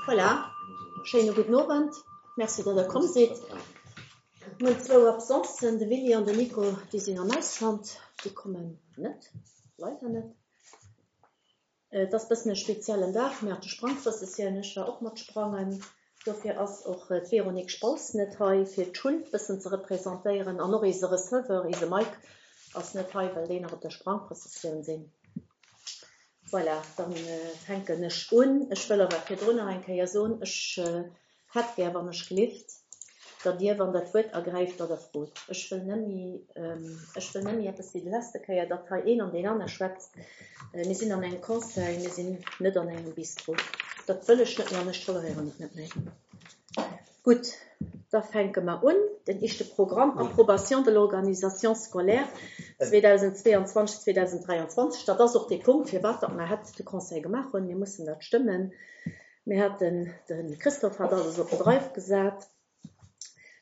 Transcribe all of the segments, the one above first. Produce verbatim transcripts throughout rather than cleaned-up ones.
Voilà, schéine gudden Owend. Merci, datt Der komm sidd. Mir hunn zwou Absencen, de Willy an den Nico, déi sinn am Ausland, déi kommen net, leider net. Et ass bëssen e speziellen Dag, mir hate Sprangprëssessioun, ech war och mat sprangen. Dofir ass och d'Véronique Spaus net hei, fir d'Schull bëssen ze representéieren. An och eise Receveur, eise Mike, ass net hei, well déi nach op der Sprangprëssessioun sinn. Voilà, dann fänken ech un. Ech wëll awer virdrun nach eng Kéier soen, ech hätt gär, wann ech gelift, datt Dir, wann Der d'Wuert ergräift, datt Der frot. Ech wëll net méi, ech wëll net méi eppes wéi déi leschte Kéier, datt hei een an deen aner schwätzt. Mir sinn an engem Conseil, mir sinn net an engem Bistro. Dat wëll ech net méi an ech toleréieren et net méi. Gutt, da fänke mer un. Den éischte Programm, Approbation de l'organisation scolaire zweedausendzweeanzwanzeg, zweedausenddräianzwanzeg. Dat ass och dee Punkt, firwat datt mer hätt de Conseil gemaach hunn. Mir mussen dat stëmmen. Mir haten, de Christophe hat alles op den Drive gesat.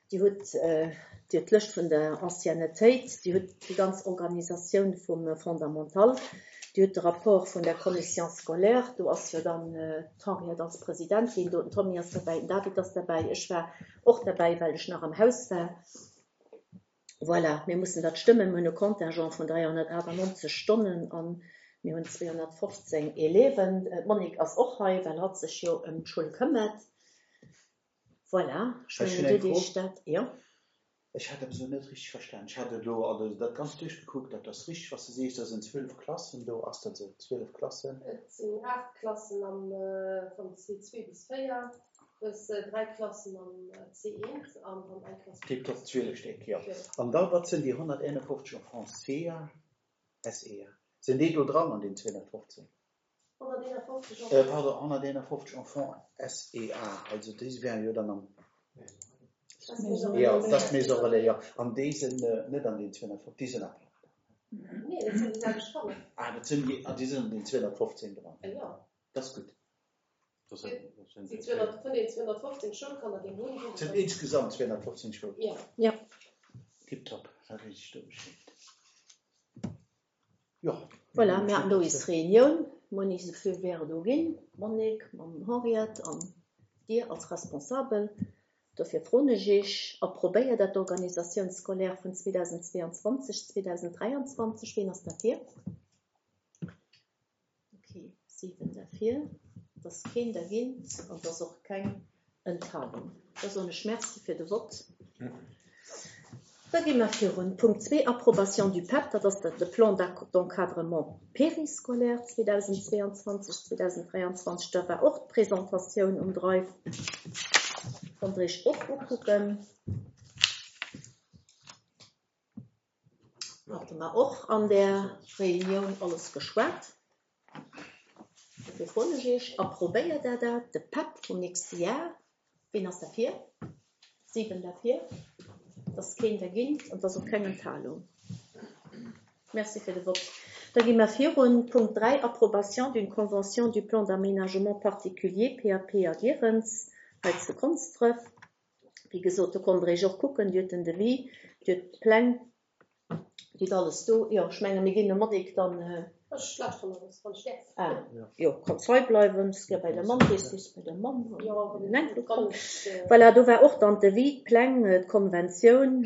Dir hutt, Dir hutt d'Lëscht vun der Anciennetéit, Dir hutt déi ganz Organisatioun vum Fondamental, Dir hutt de Rapport vun der Commission scolaire, do ass jo dann d'Henriette als Presidentin do, den Tommy ass derbäi, den David ass derbäi, ech war och derbäi, well ech nach am Haus war. Voilà, mir mussen dat stëmmen. Mir hunn e Contingent vun dräihonnertaachtanonzeg Stonnen a mir hunn zweehonnertfofzéng Élèven. D'Monique ass och hei, well hatt sech jo ëm d'Schoul këmmert. Voilà, ech Ech mengen, hunn du eng Fro. deech dat, jo. Ech hat eppes elo net richteg verstan. Ech hat elo also dat Ganzt duerchgekuckt, dat ass richteg, was du sees, da sinn zwielef Klassen do. Ass dat esou, zwielef Klassen? Et sinn aacht Klassen am, vum C zwee bis véier, plus dräi Klassen am C eent an dann eng Klass. Tiptop, zwielef Stéck, jo. An da, wat sinn déi honnerteenefofzeg Enfants C A, S E A? Sinn déi do dran an den zweehonnertfofzéng? Honnerteenefofzeg Äh, pardon, honnerteenefofzeg Enfants S E A, also déi wären jo dann am Jo, dat ass Maison Relais, jo. An déi sinn net an den zweehonnertfofzeg, déi sinn apart. Nee, dat sinn déi selwecht Kanner. Ah, dat sinn déi, ah, déi sinn an den zweehonnertfofzéng dran. Jo. Dat ass gutt. Déi zweehonnert, vun den zweehonnertfofzéng Schoulkanner, déi hunn, Et sinn insgesamt zweehonnertfofzéng Schoulkanner. Jo. Jo. Tiptop, da weess ech do Bescheed. Jo. Voilà, mir haten do eis Reunioun. Mir hunn eis e Feu vert do ginn, d'Monique mam Henriette an Dir als Responsabel. Dofir froen ech Iech, approbéiert Der d'Organisation scolaire vun zweedausendzweeanzwanzeg, zweedausenddräianzwanzeg? Wien ass derfir? Okay, siwen derfir. Et ass keen dergéint an et ass och keng Enthalung. Da soen ech Merci fir de Vott. Da gi mer virun. Punkt zwee, Approbation du P E P, dat ass de Plan d'encadrement périscolaire zweedausendzweeanzwanzeg, zweedausenddräianzwanzeg. Da war och d'Presentatioun um Drive. Konnt Der Iech och ukucken. Hate mer och an der Reunioun alles geschwat. Dofir froen ech Iech, approbéiert Der dat, de P E P vum nächste Jar? Wien ass derfir? Siwen derfir. Et ass keen dergéint an et ass och keng Enthalung. Merci fir de Vott. Da gi mer virun. Punkt dräi, Approbation d'une convention du plan d'aménagement particulier P A P a Gierens hei zu Konsdref. Wéi gesot, do konnt Der Iech och kucken, Dir hutt den Devis, Dir hutt d'Pläng, Dir hutt alles do. Jo, ech menge mir ginn dem Monique dann. Ech lauschteren nach wann ech däerf. Ah, jo, kanns hei bleiwen, s gär bei der Mamm, weess du, bei der Mamm. Jo, den Enkel kann kommt. ech. Voilà, do war och dann d'Devis, d'Pläng, d'Konventioun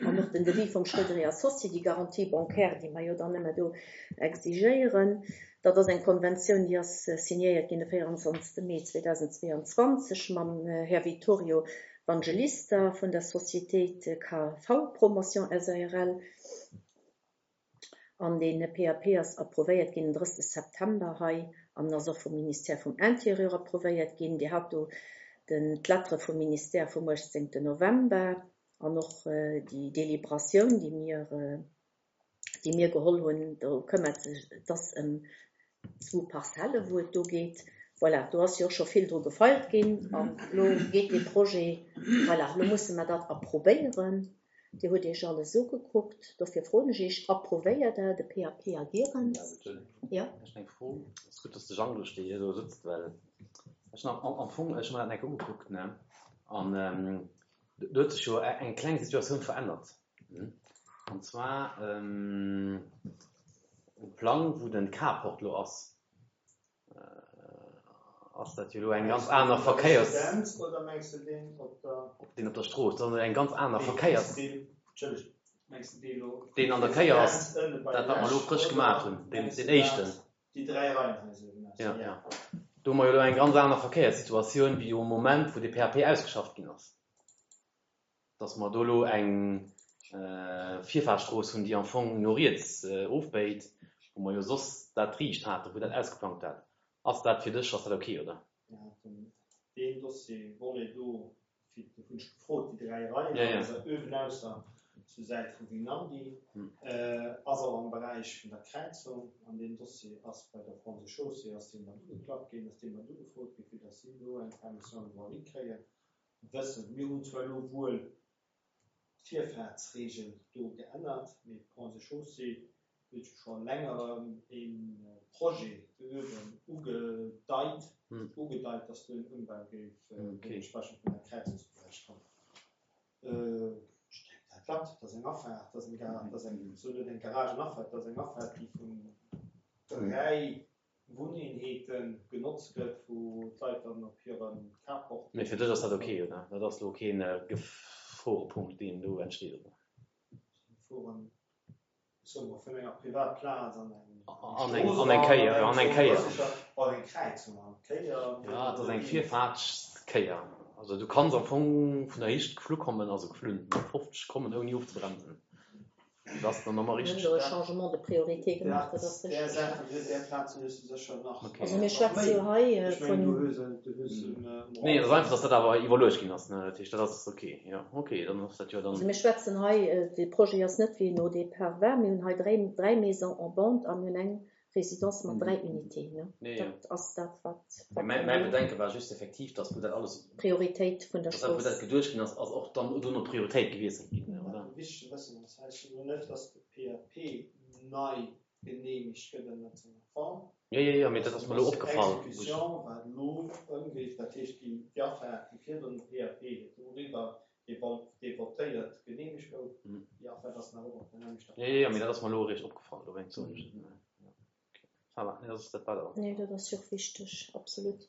an och den Devis vum Schröder Associé, déi Garantie bancaire, déi mer jo dann ëmmer do exigéieren. Dat ass eng Konventioun, déi ass signéiert ginn de véieranzwanzegste Mee zweedausendzweeanzwanzeg mam Här Vittorio Vangelista vun der Société K V Promotion S A R L. An den P A P ass approuvéiert ginn den drëssegste September hei an ass och vum Ministère vum Intérieur approuvéiert ginn. Dir hat do den d'Lettere vum Ministère vum uechtzéngten November an och déi Deliberatioun, déi mir déi mir geholl hunn, do këmmert sech et ëm zwou Parzelle, wou et do geet. Voilà, do ass jo och scho vill dru gefeilt ginn an elo geet de Projet, voilà, elo musse mer dat approbéieren. Dir hutt Iech alles ugekuckt, dofir froen ech Iech, approvéiert Der de P A P a Gierens? Ja. Ech hunn eng Fro. Et ass gutt, dass de Jean do steet, hie do sëtzt, well ech hunn am, am Fong, ech hunn mer dat eng Kéier ugekuckt, ne? An do huet sech jo eng kleng Situatioun verännert. An zwar um Plang, wou den Carport lo ass, ass dat jo elo eng ganz aner Verkéiers. Residenz oder mengs de deen op der. Op deen op der Strooss, dat ass eng ganz aner Verkéiers. Deen, Entschëllegt, mengs de dee elo. Deen an der Kéier ass, Residenz ënne bei dat wat mer elo lech, frësch oder gemaach hunn, deen, mengs de deen éischten. dat, déi dräi Reihenhaiser, genau. Ja, ja. Do hu mer jo elo eng ganz aner Verkéierssituatioun wéi um Moment, wou de P A P ausgeschafft ginn ass. Dass mer do elo eng Virfahrtstrooss hunn, déi am Fong no riets ofbéit, wou mer jo soss dat riicht haten, wou dat ausgeplangt hat. Ass dat fir dech, ass dat ok, oder? Mir haten deen Dossier, Volet do, fir, do hunn ech gefrot, déi dräi Reien, Ja, ja. also uewenausser zur Säit vu Vinadi, Hm. ass och am Beräich vun der Kräizung. An deen Dossier ass bei der Ponts et Chaussées, ass dee mat ugeklappt ginn, ass dee mat ugefrot ginn, fir datt si do eng Permission de voirie kréien. Wëssen, mir hunn zwar elo wuel d'Virfahrtsregel do geännert, mee d'Ponts et Chaussées huet jo scho längerem e Projet do uewen ugedeit, Hm. ugedeit, datt do en Ëmbau géif Okay. deementsprechend vun der Kräizungsberäich kommen. Ech denken, dat klappt, dat ass eng Afaart, dat ass eng Gar-, dat ass eng, sou net eng Garagenafaart, dat ass eng Afaart, déi vun dräi Wunneenheete genotzt gëtt, wou d'Leit dann op hire Carport. Mee fir dech ass dat ok, oder? Dat ass elo keen Geforepunkt, deen do entsteet, oder? Geforen, soe mer, vun enger Privatplaz an eng An eng, an eng Kéier, an eng Kéier. An eng Kräizung, an Kéier. Ja, et ass eng Virfaartskéier. Also du kanns am Fong vun der Héicht geflu kommen, also geflunn, mat fofzeg kommen, ouni ofzebremsen. Dat ass dann nochmal Mir hunn richteg. do e Changement de priorité gemaach, dat ass Där richteg. Saach, där Plaz hues du sécher nach. Okay. Also mir schwätze jo hei Ech mengen, du vun. hues en, du hues en um Nee, et ass einfach, dass dat awer iwwerluecht ginn ass, ne? Dat heescht, dat ass ok. Jo, ok, dann ass dat jo Also dann. mir schwätzen hei, de Projet ass net wéi en au départ war. Mir hunn hei dräi, dräi Maisons en bande a mir hunn eng Résidence mat dräi Unités, ne? Nee, jo. Dat ass dat, wat, wat Mäi, mäi Bedenke war just effektiv, dass wou dat alles, Prioritéit vun der dass dat, wou dat Strooss. geduecht ginn ass, ass och dann dono d'Prioritéit gewiesselt ginn, ne, oder? Wichteg ze wëssen ass, heescht jo net, dass de P A P nei geneemegt gëtt ënner senger Form. Jo, jo, jo, mee dat ass mer elo opgefall, wou ech. Exécution, wat elo ëmgeet, dat heescht déi Afaart, déi virdrun de P A P doriwwer dee votéiert geneemegt gouf, Mhm. déi Afaart ass nach och op der nämlechter Jo, jo, jo, mee dat ass mer elo eréischt opgefall, dowéinst soen ech et, ne. Ja. Okay. Ça va, nee, dat ass, dat war dat. Nee, dat ass jo och wichteg, absolut.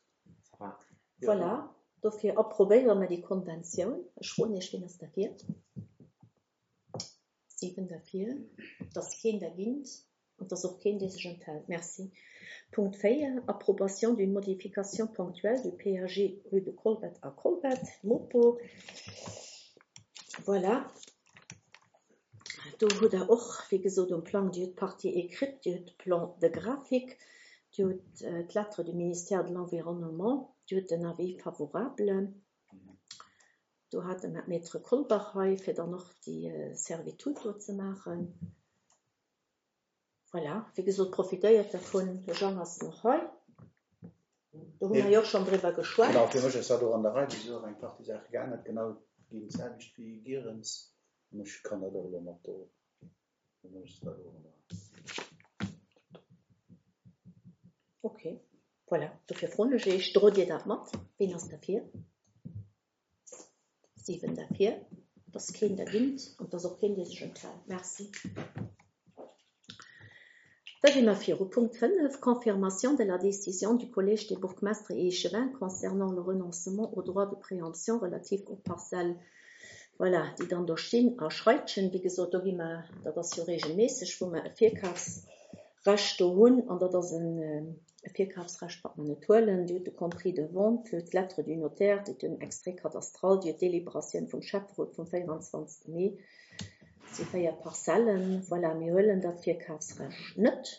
Ça va. Voilà, dofir approbéiere mer déi Konventioun. Ech froen Iech, wien ass derfir? Siwen derfir. Et ass keen dergéint an et ass och keen, dee sech enthält. Merci. Punkt véier, Approbation d'une modification ponctuelle du P A G rue de Colbert à Colbert, Mopo. Voilà. Do hutt Der och, wéi gesot, um Plang, Dir hutt d'Partie écrite, Dir hutt de Plan de graphique, Dir hutt d'Lettre du ministère de l'Environnement, Dir hutt den Avis favorable. Do hate mer d'Maître Kolbach hei, fir dann och déi Servitude do ze maachen. Voilà, wéi gesot, profitéiert dervun. De Jean ass nach hei. Do hu mer jo och schonn driwwer geschwat. Genau, fir mech ass dat och an der Rei, wéi se och eng Partie Saache geännert, genau ginn d'selwecht wéi Gierens. An ech kann dat och elo mat do. Fir mech ass dat och an der Rei. Okay, voilà. Dofir froen ech Iech, drot Dir dat mat? Wien ass derfir? Siwen derfir. Et ass keen dergéint an et ass och keen, dee sech enthält. Merci. Da gi mer viru. Punkt fënnef, Confirmation de la décision du Collège des bourgmestres et échevins concernant le renoncement au droit de préemption relatif aux parcelles, voilà, déi dann do stinn a Schreitchen. Wéi gesot, do gi mer, dat ass jo regelméisseg, wou mer e Virkafsrecht do hunn, an dat ass en e Virkafsrecht, wat mer net huelen. Dir hutt de Compris de vente, Dir hutt d'Lettre du notaire, Dir hutt den Extrait cadastral, Dir hutt d'Délibératioun vum Schäfferot vum véierundzwanzegste Mee. Dat si véier Parzellen. Voilà, mir huelen dat Virkafsrecht net.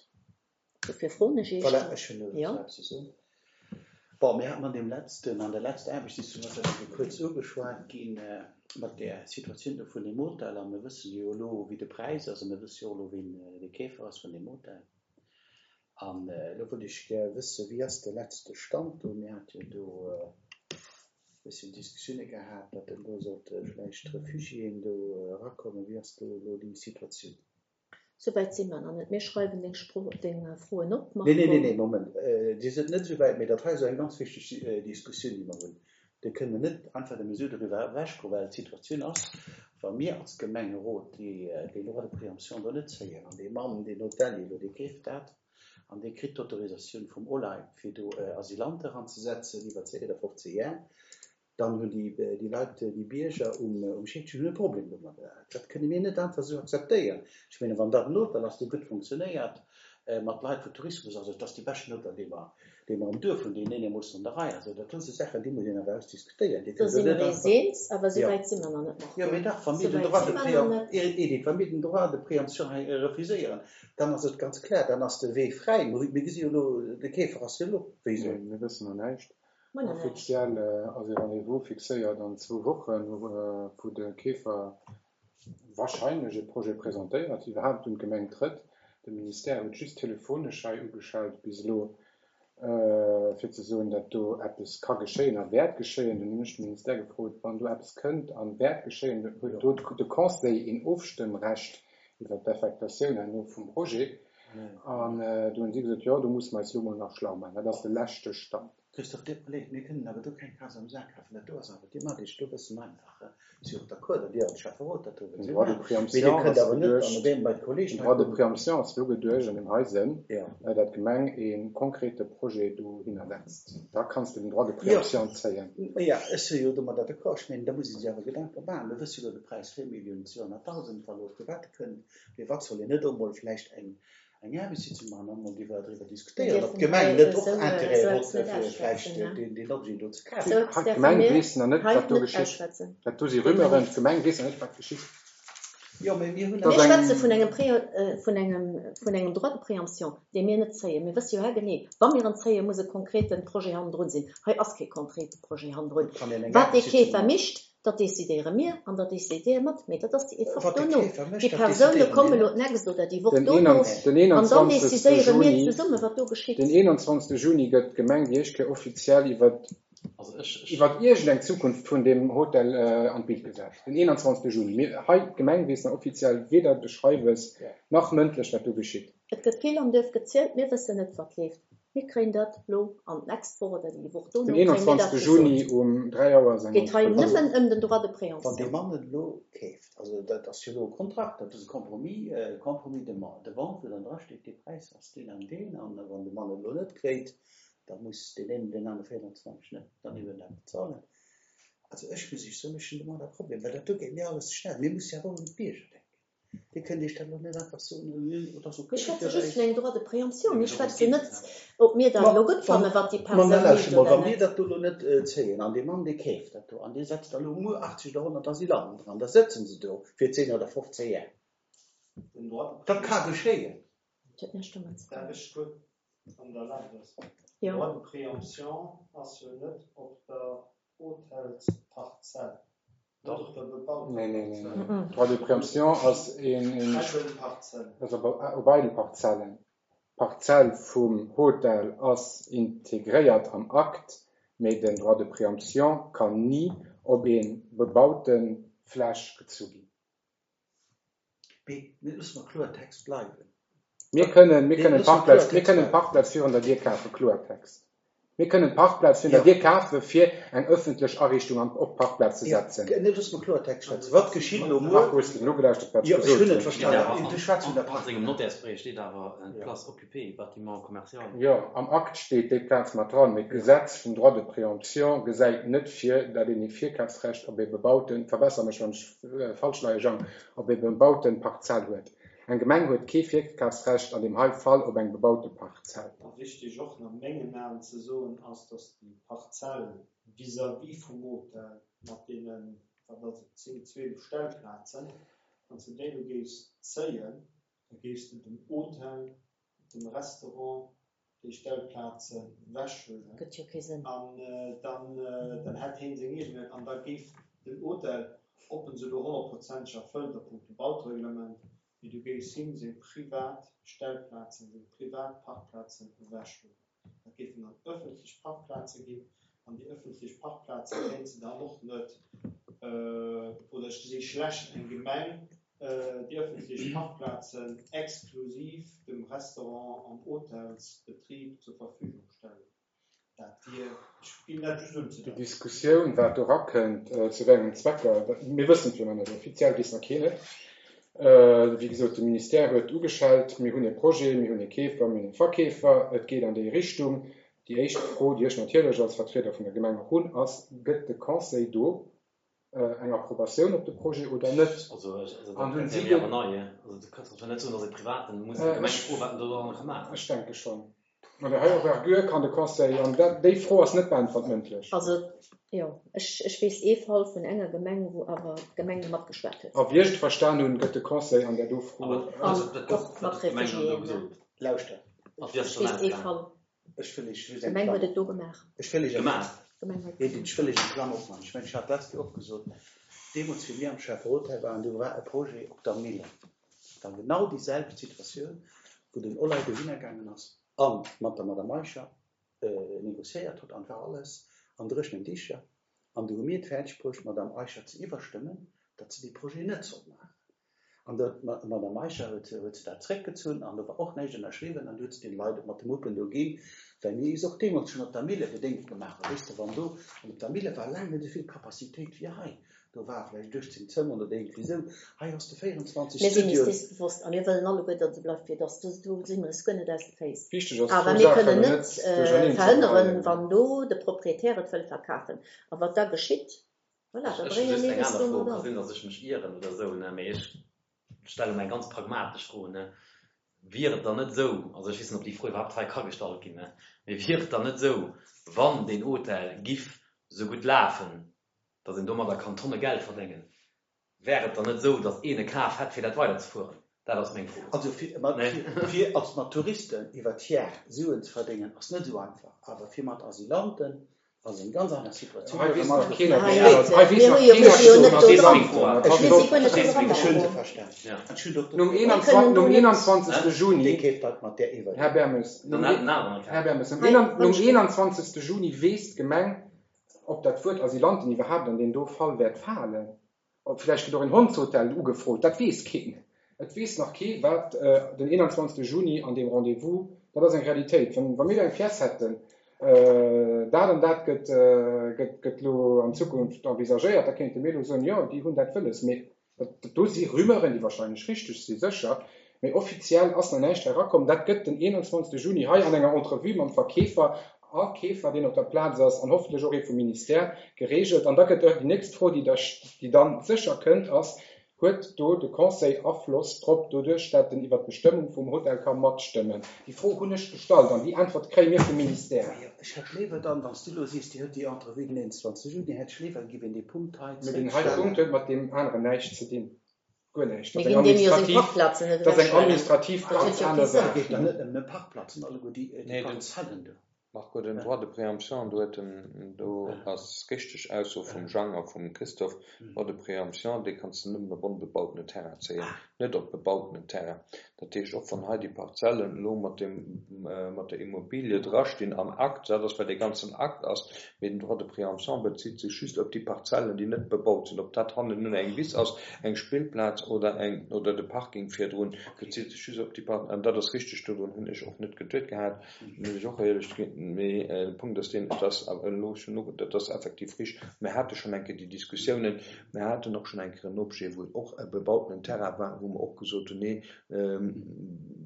Dofir froen ech Iech. Voilà, ech hunn Ja. eppes ze soen. Bon, mir haten an deem letzten, an der letzter Aarbechtssitzung ass dat eng Kéier kuerz ugeschwat ginn, mat där Situatioun do vun dem Hotel. A mir wëssen jo elo, wéi de Präis ass, a mir wësse jo och elo, wien de Keefer ass vun dem Hotel. An elo wollt ech gär wëssen, wéi ass de letzte Stand do? Mir hate jo do e bësschen Diskussioune gehat, datt dann do sollte vläicht Refugiéen do erakommen. Wéi ass do elo déi Situatioun? Souwäit si mer nach net. Mir schreiwen deng Spro-, deng Froen op, Nee, nee, nee, Marco. nee, Moment. Dir sidd net esou wäit, mee dat hei ass eng ganz wichteg Diskussioun, déi mer hunn. Do kënne mer net einfach nëmme esou doriwwer ewechgoen, well d'Situatioun ass, wa mir als Gemengerot déi, deen Droit de préemption do net zéien an dee Mann, deen Hotelier elo, dee keeft dat, an dee kritt d'Autorisatioun vum OLAI, fir do Asylante eranzesetzen iwwer zéng oder fofzéng Jar. Dann hunn déi, déi Leit, déi Bierger um, um Scheedgen hunn e Problem domadder. Dat kënne mir net einfach esou akzeptéieren. Ech menge wann dat en Hotel ass, dee gutt funktionéiert, mat Leit vu Tourismus, also et ass dee beschten Hotel, dee mer, dee mer am Duerf hunn, deen eenermoossen an der Rei ass. Also dat do si Saachen, déi muss een awer ausdiskutéieren. Dir Do kënnt si do mer net eis einfach. eens, awer esou Jo. wäit si mer nach net, Jo, Marco. mee dach, wa mir Esou den wäit Droit si de mer nach préem-, net. Edith, wa mir den Droit de préemption hei refuséieren, dann ass et ganz klar, dann ass de Wee fräi. Mir gesi jo elo, de Käfer ass jo elo wéi Nee, soll. mir wëssen nach näischt. Mer nach näischt. Offiziell ass e Rendez-vous fixéiert an zwou Wochen, wou de Käfer wahrscheinlech e Projet presentéiert, iwwerhaapt un d'Gemeng trëtt. De Ministère huet just telefonesch hei ugeschalt bis elo, fir ze soen, datt do eppes ka geschéien a wäert geschéien. Dunn hunn ech de Ministère gefrot, wann do eppes kënnt a wäert geschéien, huet do de Conseil een Ofstëmmrecht iwwer d'Affektatioun herno vum Projet. An do hunn si gesot, jo, do musse mer eis elo mol nach schlau maachen. Dat ass de leschte Stand. Christophe, dir hutt Leed, mir kënnen awer do keng Kaz am Sak kafen. Dat do ass awer thematesch do e bëssen einfach. Ech si och d'accord, datt Dir als Schäfferot dat do Den wëllt Droit de maachen. Mee Dir préemption kënnt ass awer net an geduecht, deem bei d'Kollegen den hei Droit de kommen. préemption ass elo geduecht an deem hei Sënn, Jo. datt d'Gemeng e konkrete Projet dohinner setzt. Da kanns de den Droit de Jo. préemption zéien. Jo, ech si jo domadder d'accord. Ech mengen, da muss ee sech awer Gedanke maachen. Mir wësse jo elo de Präis, véier Milliounen zweehonnertdausend, wa elo private kënnt. Mee wat soll een net och mol vläicht eng eng Aarbechtssitzung maachen an emol driwwer driwwer Mir diskutéieren, ob dierfen d'Gemeng hei net och esou Intérêt esou huet, eppes net fir vläicht ausschwätzen, ne? deen deen Objet do ze kafen. Esou eppes Hei däerfe d'Gemeng mir weess nach net, hei wat do net geschitt. ausschwätzen. Dat do si Rumeuren. Definitiv. D'Gemeng weess nach net, wat geschitt. Jo, mee mir hunn Dat Mir ass schwätze eng. vun engem Pré vun engem vun engem Droit de préemption, dee mir net zéien. Mir wësse jo haargenee, wa mir en zéien, muss e konkrete Projet hannendrun sinn. Hei ass kee konkrete Projet hannendrun. Et kann een eng Wat dee Aarbechtssitzung Käfer maachen. mécht, dat decidéiere mir an dat decidéiere mat, mee dat ass déi Etapp Wat de dono. Käfer mécht, Déi dat Persoune decidéiere mir kommen elo net. d'nächst oder déi Woch Den dono den an dann einundzwanzegste decidéiere mir Juni, zesumme wat do geschitt. den einundzwanzegste Juni gëtt d'Gemeng déi éischt Kéier offiziell iwwer Also ech, ech, iwwer iergendeng Zukunft vun deem Hotel an d'Bild gesat. Den einundzwanzegste Juni. Mir, hei, d'Gemeng weess nach offiziell weder de Schreiwes nach mëndlech, wat do geschitt. Et gëtt vill am Duerf gezielt, mir wëssen net wat leeft. Mir kréien dat elo an d'nächst Woch oder déi Woch Den dono kréie mir dat einundzwanzegste gesot. Juni um dräi Auer ass eng Geet hei Entrevue. nëmmen ëm den Droit de Wann dee préemption. Mann et elo keeft, also dat ass jo elo e Kontrakt, dat ass e Compromis, e Compromis de de vente, wou dann drasteet, dee Präis ass deen an deen, an wann de Mann et elo net kréit, da muss deen een deen anere véierundzwanzeg net dann iwwer dat bezuelen. Also ech muss Iech soen, ech hunn domadder e Problem, well dat do geet mir alles ze schnell. Mir musse jo awer och un d'Bierger denken. Dir kënnt Iech dat elo net einfach soen, dat ass Mir okay schwätze fir just eis. vun engem Droit de préemption. Nee, Mir mee dorëms schwätzen geet net, et ja. ob mir dat Ma elo gutt wann, fannen, wat déi ma Persoun na lauschter mécht mol, oder wa mir net. dat do elo net zéien an dee Mann dee keeft dat do an dee setzt da elo muer achtzeg oder honnert Asylanten dran, da sëtzen se do fir zéng oder fofzéng Jar. Den Droit de Dat ka préemption. geschéien. Dat huet näischt domat ze Darf dinn. ech kuerz an der Erlaabnis? Den Jo. Droit de préemption ass jo net op der Hotelsparzell, net Doch. op der bebauter Nee, nee, nee, Parzell. nee. Mhm. Droit de préemption ass een, een Eidel Parzell. also op, op eidel Parzellen. D'Parzell vum Hotel ass integréiert am Akt, mee den Droit de préemption kann ni op een bebaute Fläch gezu ginn. Mee mir loosse mer Kloertext bleiwen. Mir kënnen, mir Nee, kënnen loosse mer Parkplaz, mir Kloertext kënnen bleiwen. Parkplaz virun der Dier kafen, Kloertext. Mir kënnen Parkplaz virun der Jo. Dier kafe fir eng ëffentlech Ariichtung an op Parkplaz ze Ja, setzen. nee, loosse mer Kloertext schwätzen. Wat geschitt elo muer? Marco, hues du nogelauschtert, wat ech Jo, ech gesot hunn et hunn? verstanen. An, Du schwätz vun der an, an Park. sengem Notärsbréif steet awer äh, Ja. Place occupée, bâtiment commercial. Jo, am Akt steet déi Plaz mat dran, mee d'Gesetz vum Droit de préemption gesäit net vir, datt een e Virkafsrecht op e bebauten, verbesser mech wann ech äh, falsch leie, Jean, op e bebauten Parzell huet. Eng Gemeng huet kee Virkafsrecht an deem hei Fall op eng bebaute Parzell. A wichteg och nach mengen Aen ze soen ass, datt déi Parzell vis-à-vis vum Hotel mat deenen, wat ass et, zéng, zwielef Stellplazen, wann s du déi elo géifs zéien, da géifs du dem Hotel, dem Restaurant déi Stellplaze wechhuelen. Gëtt jo kee Sënn. An äh, dann, äh, dann hätt hien seng eegene, an da géif den Hotel, ob en se elo honnertprozenteg erfëllt a punkto Baureglement, mee du géifs him seng privat Stellplazen, seng privat Parkplazen ewechhuelen. Dat géifen dann ëffentlech Parkplaze ginn, an déi ëffentlech Parkplaze kéint se dann och net, äh, oder ech gesi schlecht eng Gemeng, äh, déi ëffentlech Parkplazen exklusiv dem Restaurant an Hotelsbetrib zur Verfügung stellen. Dat wier, ech ginn dat just Déi unzedeiten. Diskussioun, wat do rakënnt, äh, zu wéi engen Zwecker, mir wëssen et jo nach net, offiziell weess nach keen et. Wéi gesot, de Ministère huet ugeschellt, mir hunn e Projet, mir hunn e Keefer, mir hunn e Verkeefer, et geet an déi Richtung. Déi éischt Fro, déi ech natierlech als Vertrieder vun der Gemeng och hunn, ass, Gëtt de Conseil do eng Approbatioun op de Projet oder net? Also, also An dat hunn wär si mir de. awer nei. Also du kanns doch net soen, datt e Privaten muss eng Gemeng froen, wat en do dran ka maachen. Ech denke schonn. An der héijer Envergure kann de Conseil, an dat, déi Fro ass net beäntwert mëndlech. Also, jo, ech, ech weess ee Fall vun enger Gemeng, wou awer d'Gemeng matgeschwat huet. A wéi ech et verstan hunn, gëtt de Conseil an där do Fro. Awer An also dat gouf, och wat mat huet d'Gemeng dann do Réfugiéen, ja. gesot? Lauschter, Ach, wéi ass Ech et dann weess ee ausgaangen? Fall. ech wëll Iech just eng D'Gemeng huet Klammer, et do gemaach. ech wëll Iech eng, Gemaach? D'Gemeng huet et Edith, gemaach. ech wëll Iech eng Klammer opmaachen. Ech mengen, ech hat d'lescht Joer och gesot, deemools, wéi mir am Schäfferot hei waren, do war e Projet op der Mille. War genau déi selwecht Situatioun, wou den Olay dohinner gaangen ass a mat der Madame Eicher négociéiert huet an war alles an dréchenen Dicher. An du hu mir et fäerdeg bruecht, d'Madame Eicher ze iwwerstëmmen, datt se dee Projet net sollt maachen. An da d'Madame Eicher huet huet se dat zréckgezunn an do war och näischt ënnerschriwwen an du huet se den Leit mat de Muppen do ginn, well mir is och deemools schonn op der Mille gedéngt gemaach hunn. Weess de, wann do, an op der Mille war laang net esou vill Capacitéit wéi hei, do war vläicht uechtzéng Zëmmer oder iergendwéi esou, hei has de véierundzwanzeg Mir sinn eis Studioen. dees bewosst a mir wëllen alleguer, datt et bleift wéi et ass. Do, do si mir eis guer net aus de Féiss. Wichteg ass, Awer zwou mir Saachen kënnen elo net net duercherneen ze verhënneren, geheien. wann do de Proprietär et wëll verkafen. A wat da geschitt, voilà, Ech da ech hu brénge just mir eng eis aner do Fro. mat Ka an. sinn, datt ech mech ieren oder esou, ne, mee ech stelle mer eng ganz pragmatesch Fro, ne. Wier et dann net esou, also ech weess net, ob déi Fro iwwerhaapt hei ka gestallt ginn, ne, mee wier et dann net esou, wann deen Hotel giff esou gutt lafen, datt een domadder kann Tonne Geld verdéngen, wär et dann net esou, datt een e Kaf hätt, fir dat weiderzefueren? Dat ass meng Fro. Also fir mat, Ne? fir, fir als mat Touristen iwwer d'Jar Suen ze verdéngen, ass net esou einfach. Awer fir mat Asylanten ass eng ganz aner Situatioun. Hei Da weess man nach ech keen, ob Hei, een aner, Leute, hei weess mir nach hu jo, keen, mir si jo ob net een do Verstees dran. meng Fro awer? Ech Mir hunn si och guer net do Verstees dran, meng ech hunn se Marco. verstan. Ja. An ech hunn och Nom dofir Mir einundzwanzigsten kënnen do nom net. einundzwanzigsten Hä? Dee Juni, keeft dat mat där iwwer. Här Bermes, Dann nom, hat en aneren Här kaf. Bermes, nom Hei, nom wann einundzwanzigsten Juni weess d'Gemeng, ob dat Wuert Asylanten iwwerhaapt an deem do Fall wäert falen. Ob vläicht gëtt och en Hondshotel ugefrot, dat weess keen. Et weess nach kee, wat äh, den einundzwanzigsten Juni an deem Rendez-vous, dat ass eng Realitéit. Wann, wa mir do eng Pièce hätten, äh, dat an dat gëtt, äh, gëtt, gëtt lo an Zukunft envisagéiert, da kéinte mir lo soen, jo, déi hunn dat wëlles. Mee dat, dat do si Rumeuren, déi wahrscheinlech richteg si, sécher. Mee offiziell ass nach näischt erakomm. Dat gëtt den einundzwanzigsten Juni hei an enger Entrevue mam Verkeefer a Keefer, deen op der Plaz ass, an hoffentlech och ee vum Ministère geregelt. An da gëtt och déi nächst Fro, déi da, déi dann sécher kënnt, ass, huet do de Conseil Afloss drop, doduerch, dat en iwwer d'Bestëmmung vum Hotel ka matstëmmen? Déi Fro hunn ech gestallt an déi Äntwert kréie mir vum Ministère. Jo, ech hätt léiwer dann, wann s du elo sees, Dir hutt déi Entrevue den einundzwanzigsten Juni, hätt ech léiwer, et giff een dee Punkt hei Mee deen hei zréckstellen. Punkt huet mat deem aneren näischt ze dinn. Guer näischt. Mir Dat ass eng ginn deem jo seng administrativ, Parkplazen net dat ass eng ewechhuelen. administrativ Dat huet ganz jo aner kee Sënn. Saach. Et geet dann net ëm de Parkplazen, alleguer déi, déi Nee, den Parzellen do. Marco, den Droit de préemption, do huet den, do ass richteg Ausso vum Jean a vum Christophe, Droit de préemption, dee kanns du nëmmen op onbebautene Terrain zéien, net op bebautenen Terrain. Dat heescht, och wann hei déi Parzellen elo mat dem, mat der Immobilie drastinn am Akt, dat ass, well dee ganzen Akt ass, mee den Droit de préemption bezitt sech just op déi Parzellen, déi net bebaut sinn. Ob dat hannen nun eng Wiss ass, eng Spillplaz oder eng, oder de Parking virdrun, bezitt sech just op déi Par-, an dat ass richteg, dodrun hunn ech och net geduet gehat, muss ech och éierlech ginn, mee de Punkt ass deen, et ass awer elo schon no, dat ass effektiv richteg. Mir hate schonn eng Kéier déi Diskussiounen, mir haten och schonn eng Kéier en Objet, wou et och e bebautenen Terrain war, wou mer och gesot hunn, nee,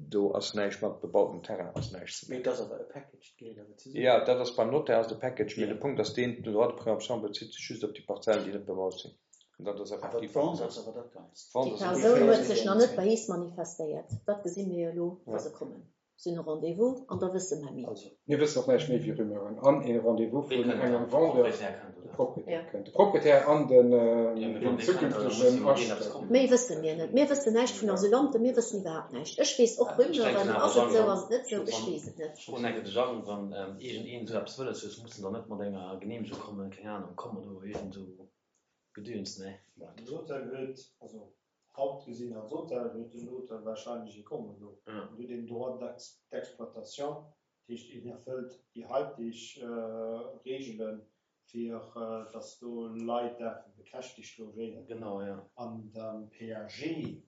do ass näischt mat bebauten Terrain, ass näischt ze Mee et ass awer e Package, et gehéiert awer zesummen. Ja, dat ass beim Notaire ass de Package, mee de Punkt ass deen, den Droit de préemption bezitt sech just op déi Parzellen, déi net bebaut sinn. An dat ass Awer effektiv d'Vente ass awer dat Ganzt. D'Vente Déi ass awer Persoun dat huet Ganzt. sech nach net bei eis manifestéiert. Dat gesi mir jo elo, wa se kommen. Si hunn e Rendez-vous an da wësse mer méi. Also. Mir wëssen och näischt méi wéi Rumeuren. An e Rendez-vous Wee vun kënnt engem dann? De Vendeur, Proprietär kënnt, de oder? Proprietär Ja. kënnt. De Proprietär an den, Ja, mee den wann dee kënnt, da muss zukünftegen jo mat deen eppes Architekt. kommen. Méi wësse mir net. Mir wëssen näischt vun Asylanten, mir wëssen iwwerhaapt näischt. Ech weess och Ech denken Rumeuren, awer, ass et Jeanne, esou, wann, ass et net esou, ech wann, weess et net. ech froen enke de Jeanne, wann iergendeen esou eppes wëlles huet, muss en dann net mat enger Genehmegung kommen, keng Ahnung, komm oder iergend esou Gedöns, ne? Den Hotel huet, also haut gesinn als Hotel, huet den Hotel wahrscheinlech e Kommodo. Ja. En huet een Droit d'exploitation, dat heescht, en erfëllt déi haiteg Reegelen, fir dass do Leit däerfe bekäschtigt logéieren. Genau, ja. An dem P A G,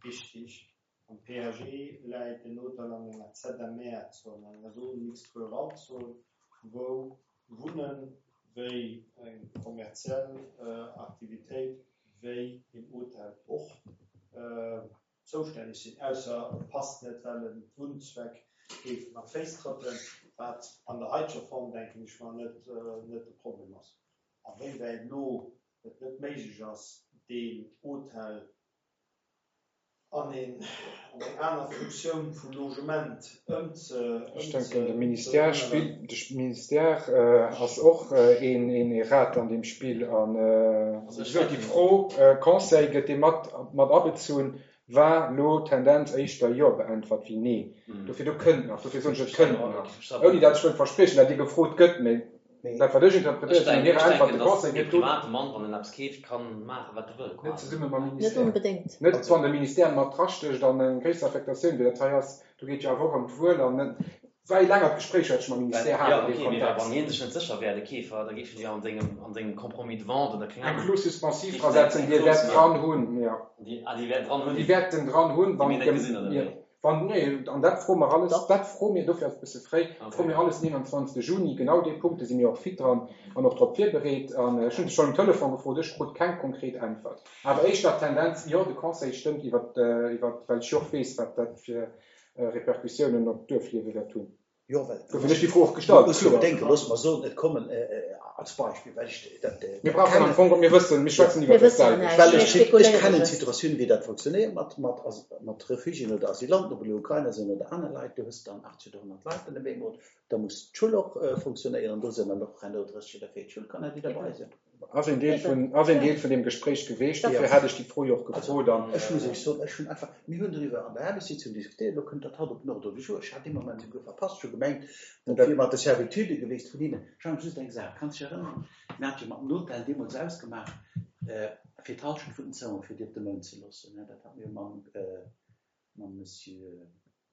wichtig, am P A G läit den Hotel an enger Z M R-Zon, enger Zone mixte rurale-Zon, wou Wunnen wéi eng kommerziell Aktivitéit wéi een Hotel och noutwenneg sinn, ausser et passt net, well en Wunnzweck géif mat Féiss trëppelen, wat an der haiteger Form, denken ech mer, net net de Problem ass. A wéiwäit elo et net méiglech ass, deen Hotel an een an eng aner Funktioun vu Logement ëmze Ech ëmze denken, de Ministère ëmzeänneren. spillt, de Ministère ass och een een Rad an deem Spill. An Also wéi ech gesot, déi denken. Fro, Conseil gëtt dee mat mat abezunn, war lo Tendenz éischter Jo beäntwert wéi Nee. Dofir, do kënnt nach, dofir soen ech, et kënnt nach, ouni dat ech wëll verspriechen, dat Dir gefrot gëtt, mä dat wat ech Ech interpretéiert hunn an denken, hirer ech Äntwert, denken, de dass Conseil e gëtt do private Mann, wann en eppes keeft, kann maachen, wat e wëll, net quasi. zesumme mam Net Ministère, onbedéngt. net wann de Ministère mat drastécht an eng gréisser Affektatioun wéi dat hei ass, do geet jo awer och ëm d'Wuel an net, war ee längert Gespréich wat ech mam Well, Ministère jo, hat an deem okay, mee wa wann Kontext. hien sech net sécher wär, de Keefer, da géif en jo an sengem, an sengem Compromis de vente oder keng Eng Ahnung, Clause suspensive géif en eng, drasetzen, eng déi e Clause wäert maachen. dran hunn, jo. Déi, ah, déi wäert dran hunn, Déi wäert en dran hunn, déi wann mir net d'Gem, gesinn, oder jo. wéi? Wann, nee, an dat froe mer alles, Doch. dat froe mir, dofir ass et e bësse fréi, froe Okay. mir alles den eenanzwanzegste Juni, genau déi Punkte si mir och fit dran an och drop virbereet. An ech hunn se schonn um Telefon gefrot, ech krut keng konkret Äntwert. Awer éischter d'Tendenz, jo, de Conseil stëmmt iwwer, iwwer, well ech jo och weess, wat dat fir Repercussiounen op d'Duerfliewe wäert hunn. Jo, well Dofir hunn ech déi Fro och gestallt, muss jo kloer. bedenken, loosse mer soen, et kommen, als Beispill, well ech dat Mir brauchen am kennen, Fong, mir wëssen, mir schwätzen Mir iwwer wëssen datselwecht. näischt, well mir ech ech spekuléiere kennen just. d'Situatioun, wéi dat funktionéiert mat mat mat Refugiéen oder Asylanten, ob elo Ukrainer sinn oder aner Leit, du hues dann achtzeg oder honnert Leit an dem eemol, da muss d'Schoul och funktionéieren, do sinn dann och herno drësseg oder véierzeg Schoulkanner, déi derbei Eben. sinn. Ass een Deel Eben, vun, ass een ja. Deel vun deem Gespréich geweecht, Dat dofir Ja. hat ech déi Fro jo och Also, gefrot an. ech muss Iech soen, ech hunn einfach, mir hunn doriwwer an der Aarbechtssitzung diskutéiert, elo kënnt dat haut op den Ordre du jour. Ech hat dee Moment souguer verpasst, ech hu gemengt, dat Dat wier mat de Servitude geweest vun hinnen. Jean, just eng Saach, kanns dech erënneren, mir hate jo mat dem Hotel deemools ausgemaach, fir d'Hallschent vun den Zëmmere fir déi op de Mount ze loossen. Dat hate mir mam, mam Monsieur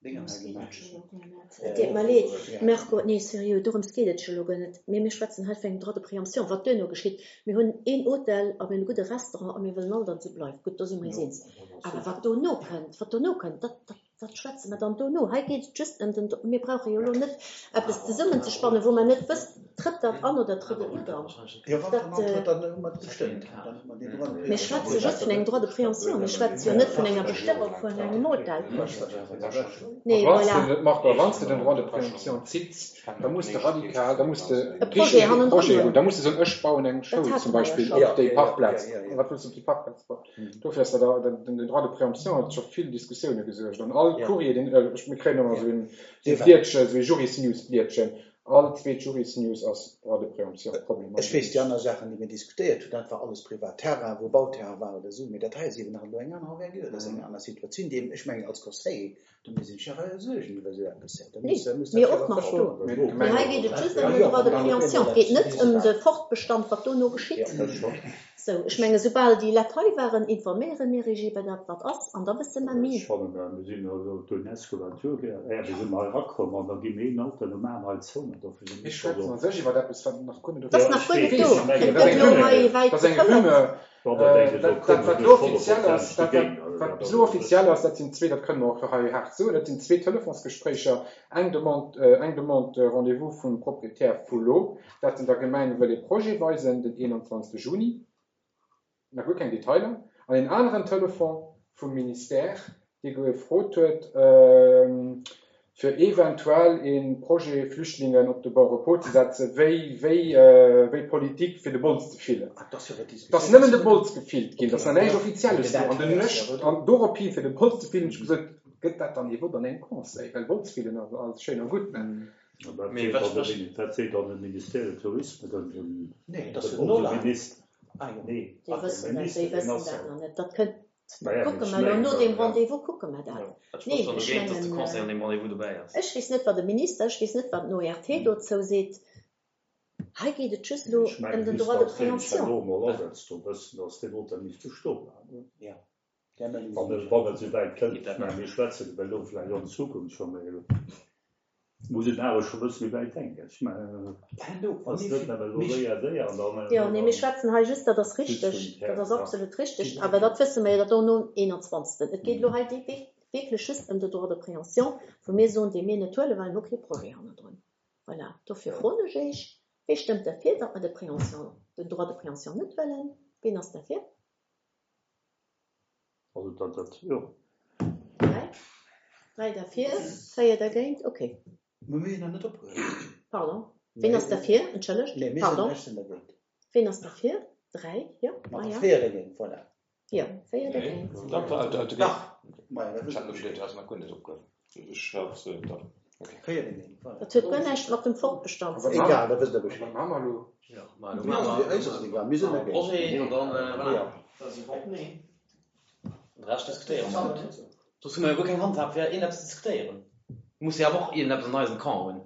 Dénger hei Dorëms geet et gemaach. jo elo guer net. Et deet mer leed, Marco, nee, sérieux, dorëms geet et jo elo guer net. Mee mir schwätzen hei vun engem Droit de préemption, wat duerno geschitt. Mir hunn een Hotel a mir hunn e gudde Restaurant a mir wëllen all, datt et esou bleift. Gutt, do si mer eis eens. Awer wat dono kënnt, wat dono kënnt, dat, dat, dat schwätze mer dann dono. Hei geet et just ëm den, mir brauche jo elo net eppes zesummenzespannen, wou mer net wëssen, trëtt dat an oder trëtt et net an. Jo, wann Dat, en antrëtt, dann hu mer et gestëmmt. Dann hu mer deen Droit de Mir préemption. schwätze just vun engem Droit de préemption. Mir schwätze jo net vun enger Bestëmmung vun engem Hotel. Nee, A wann s voilà. de, Marco, a wann s de den Droit de préemption zitts, da muss de radikal, da muss de E Projet richteg e hannendrun Projet hunn. hunn. Da muss de soen, ech bauen eng Dat Schoul hate zum mer jo Beispill schonn. op Ja, déi ja, ja, Parkplaz. ja, ja. Wat wëlls du op déi Parkplaz bauen? Dofir ass dat, dat, den Droit de préemption huet scho vill Diskussioune gesuergt. An all Ja. Courrier, deen, ech, mir kréien ëmmer Ja. esou en, esou Dee e war. Blietchen, esou e Jurisnews-Blietchen. All zweet Jurisnews ass Droit de préemption Ech weess, déi problematesch. aner Saachen, déi mir diskutéiert hunn, dat war alles privat Terrain, wou Bauterrain war oder esou, mee dat hei ass eben nach elo eng aner Envergure, dat ass eng aner Situatioun, déi eben, ech mengen, als Conseiller, do muss een sech awer Suergen iwwer esou eppes maachen. Da Nee, muss, da muss dat mir jo och, awer Marco. verstoen. Mee d'Gemeng Mee hei geet et just Ja, ëm den jo, Droit de an dann op préemption. eemol Et geet dat net ëm de Fortbestand, wat dono geschitt. Ja, dat scho. Sou, ech menge soubal déi Leit hei waren, informéiere mir iech iwwer dat, wat ass, an da wësse mer Ech méi. fannen, mir sinn elo d'UNESCO war d'Tour, är wir sinn hei erakomm an da gi mir een Alter nom aneren hei zou. Dofir sinn Mir ech scho schwätzen so. an sech iwwer eppes, wat nach guer net Dat ass Ja, nach ech guer net weess, do. ech mengen, Et Dat ass gëtt eng elo hei Rumeur. wäit Dat ass eng gefouert. Rumeur. Ja, dat denke Dat, elo dat, kommen wat duerch elo offiziell honnert ass, Prozent dat, dogéint. wat, Also wat dat bis ass elo e offiziell bëssen. ass, dat sinn zwee, dat kënnen mer och hei haart soen, dat sinn zwee Telefonsgespréicher, eng Demande, äh, eng Demande de Rendez-vous vum Proprietär vu lo, dat en der Gemeng wëll e Projet weisen, den eenanzwanzegste Juni, nach guer keng Detailer, an een aneren Telefon vum Ministère, dee gefrot huet, ähm, fir eventuell een Projet Flüchtlingen op de Bon repos ze setzen, wéi, wéi, äh, wéi Politik fir de Bols ze fillen. Ah, dat ass jo wat Dat ass diskutéiert. nëmmen de Bols gefillt ginn, dat ass Okay, nach näischt ja. Offizielles do. Dat An den hei ass ech, jo do. an doropi fir de Bols ze fillen, ech gesot, gëtt dat dann ee Vott an engem Conseil, well Bols fillen ass alles schéin a gutt, ne? An dat Mee seet wat dann de spricht Mini- dat seet dann de Ministère de Tourisme, den, den, Nee, dat ass den, jo onse Nolan. Minister. Ah, jo. Nee, Déi ach, de wëssen dat, déi Minister, deen wëssen ass dat ja. nach net. Dat kënnt, dat Naja, kucke ech mer elo mengen, no deem ja. Rendez-vous kucke mer dat. Dat Nee, spricht dann ech dogéint, dass de mengen, Conseil an deem Rendez-vous dobäi ass. ech weess net, wat de Minister, ech weess net, wat den O R T dozou seet. Hei geet et just elo Ech ëm mengen, den bis Droit de dass deen sech préemption. elo mol asetzt, do wëssen, dass deen Hotel misst bestoen bleiwen. Ja, där Meenung Wann sinn et, ech. wann et souwäit kënnt, Geet dat ech mengen, net. mir schwätzen iwwer elo vläicht an Zukunft scho, mee muss een awer scho bëssen méi wäit denken. Ech mengen, Herno, wa ass mir net vill, nëmmen elo mir séier, séier an dann, Jo, nee, mir dann schwätzen hei just, dat ass just vum richteg, dat Terrain, ass ja. absolut richteg, Genau. awer dat wësse mer jo, dat dono eenanzwanzegsten. Et geet elo hei déi wierklech just ëm de Droit de préemption, wou mir soen, dee mir net huelen, well mir hu kee Projet hannendrun. Voilà, dofir froen ech iech, wie stëmmt derfir, datt mer de Préemption, den Droit de préemption net wëllen? Wien ass derfir? Also dat, dat, jo. Dräi? Dräi derfir, véier dergéint. Okay. Mä mir hunn nach net opgehuewen. Pardon. Ween ass derfir? Entschëllegt. Nee, mir sinn, Pardon. ech sinn dergéint. Ween ass derfir? Dräi, jo. Ma Ah ja. véier dergéint, voilà. Jo, véier dergéint. Dach, dach, Dach. Maja, da Ech wësst hat der geduecht, Bescheed. du häss nach guer net opgehuewen. Ech hat se dach. Okay. Véier dergéint, voilà. Dat huet guer näischt mat dem Fortbestand A ze wat dinn. maache Egal, da wësst der wat Bescheed. maache mer elo? Jo, ma elo Mir maache mer eis ass et egal, mir sinn dergéint. Projet an dann, voilà. Ja. Da si mer op Nee. Den Rescht diskutéiere mer. Soss hu mer jo guer keng Handhab fir iergendeppes ze diskutéieren. Muss jo awer och iergendeppes an eisem Camp hunn.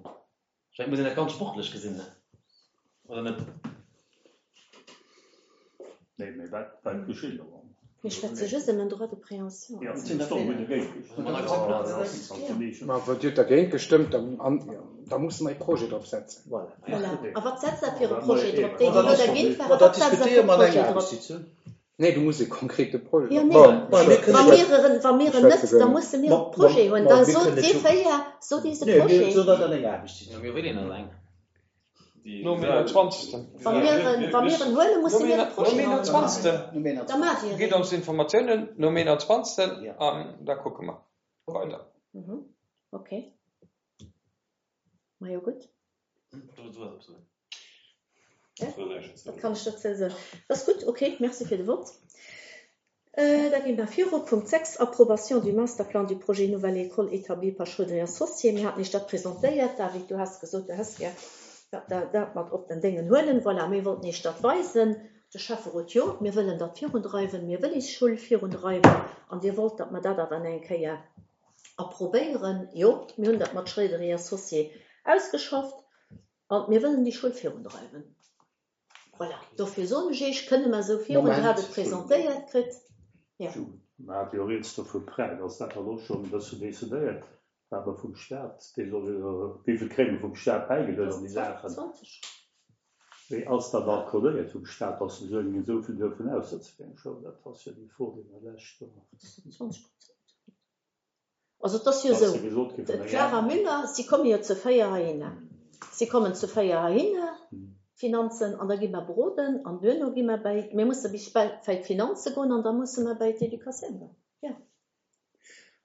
Ech mengen, et muss een dat ganz sportlech gesinn, ne? Oder net? Nee, mee wat, wat geschitt elo? Mir schwätze just ëm en Droit de préemption. Ja, Sinn dat derfir. ass dogéint. Manner Ja, Ma wann Dir dergéint gestëmmt, dann, an, da musse mer e Projet drop setzen. Voilà. Voilà. A wat setzt der fir e Ma Projet eben. drop? Déi, Ma déi dat elo ass dergéint Ma waren, dat wat setzt der fir diskutéiere e mer an Projet enger drop? Aarbechtssitzung. Nee, du muss e konkrete Projet. Jo, nee. Bon, Ma mir ech kënne Wa jo- mir en, wa mir en Schwätze net, da gënnen. musse mir Ma- e Projet ma- hunn. ma Da mir sot kënne si jo- véier, sot eis e Nee, mir Projet. soen dat an enger Aarbechtssitzung. Jo, mir wëllen en eng. Nom einundzwanzigsten. Wa mir en, wa mir en huelen, musse Nom mir e Projet hunn. einundzwanzigsten. Nom Da maacht Dir Gitt een. ons Informatiounen nom einundzwanzigsten. Ja. An da kucke mer weider. Mhm. Okay. Ma jo, gutt. Du, du hast soen. Dat kann ech dozou soen. Dat ass gutt, okay, merci fir de Wort. Äh, da gi mer viru. Punkt sechs, Approbation du Masterplan du projet Nouvelle École établi par Schröder et Associés. Mir haten iech dat presentéiert. David, du has gesot, du häss gär dat, dat, dat mat op den Déngen huelen. Voilà, mir wollten iech dat weisen. De Schäfferot, jo, mir wëllen dat virundreiwen, mir wëllen Schoul virundreiwen. An Dir wollt, datt mer dat awer eng Kéier approbéieren. Jo, mir hunn dat mat Schröder et Associés ausgeschafft. An mir wëllen déi Schoul virundreiwen. Voilà, dofir soen ech iech, kënne mer esou virun, Moment. Dir hat et presentéiert kritt. Ja. Ma hat jo rieds do vu Prêt, ass dat elo schonn e bëssen decidéiert, wat mer vum Staat, dee soll jo, wéi vill kréie mer vum Staat bäigeluecht an déi Saachen? zwanzeg. Wéi ass dat accordéiert vum Staat, dass se soen, esou vill dürfen aussetzen fir eng Schoul? Dat ass jo déi Fro, déi mer lescht do. Dat sinn zwanzeg Prozent. Also dat ass jo Dass esou. se gesot gi vun der D'Clara Müller, si komme jo zu véier heihinner. Si kommen zu véier heihinner, Finanzen, an da gi mer beroden, an duerno gi mer bei, mir musse bis bei bei d'Finanze goen, an da musse mer bei d'Educatioun goen. Ja.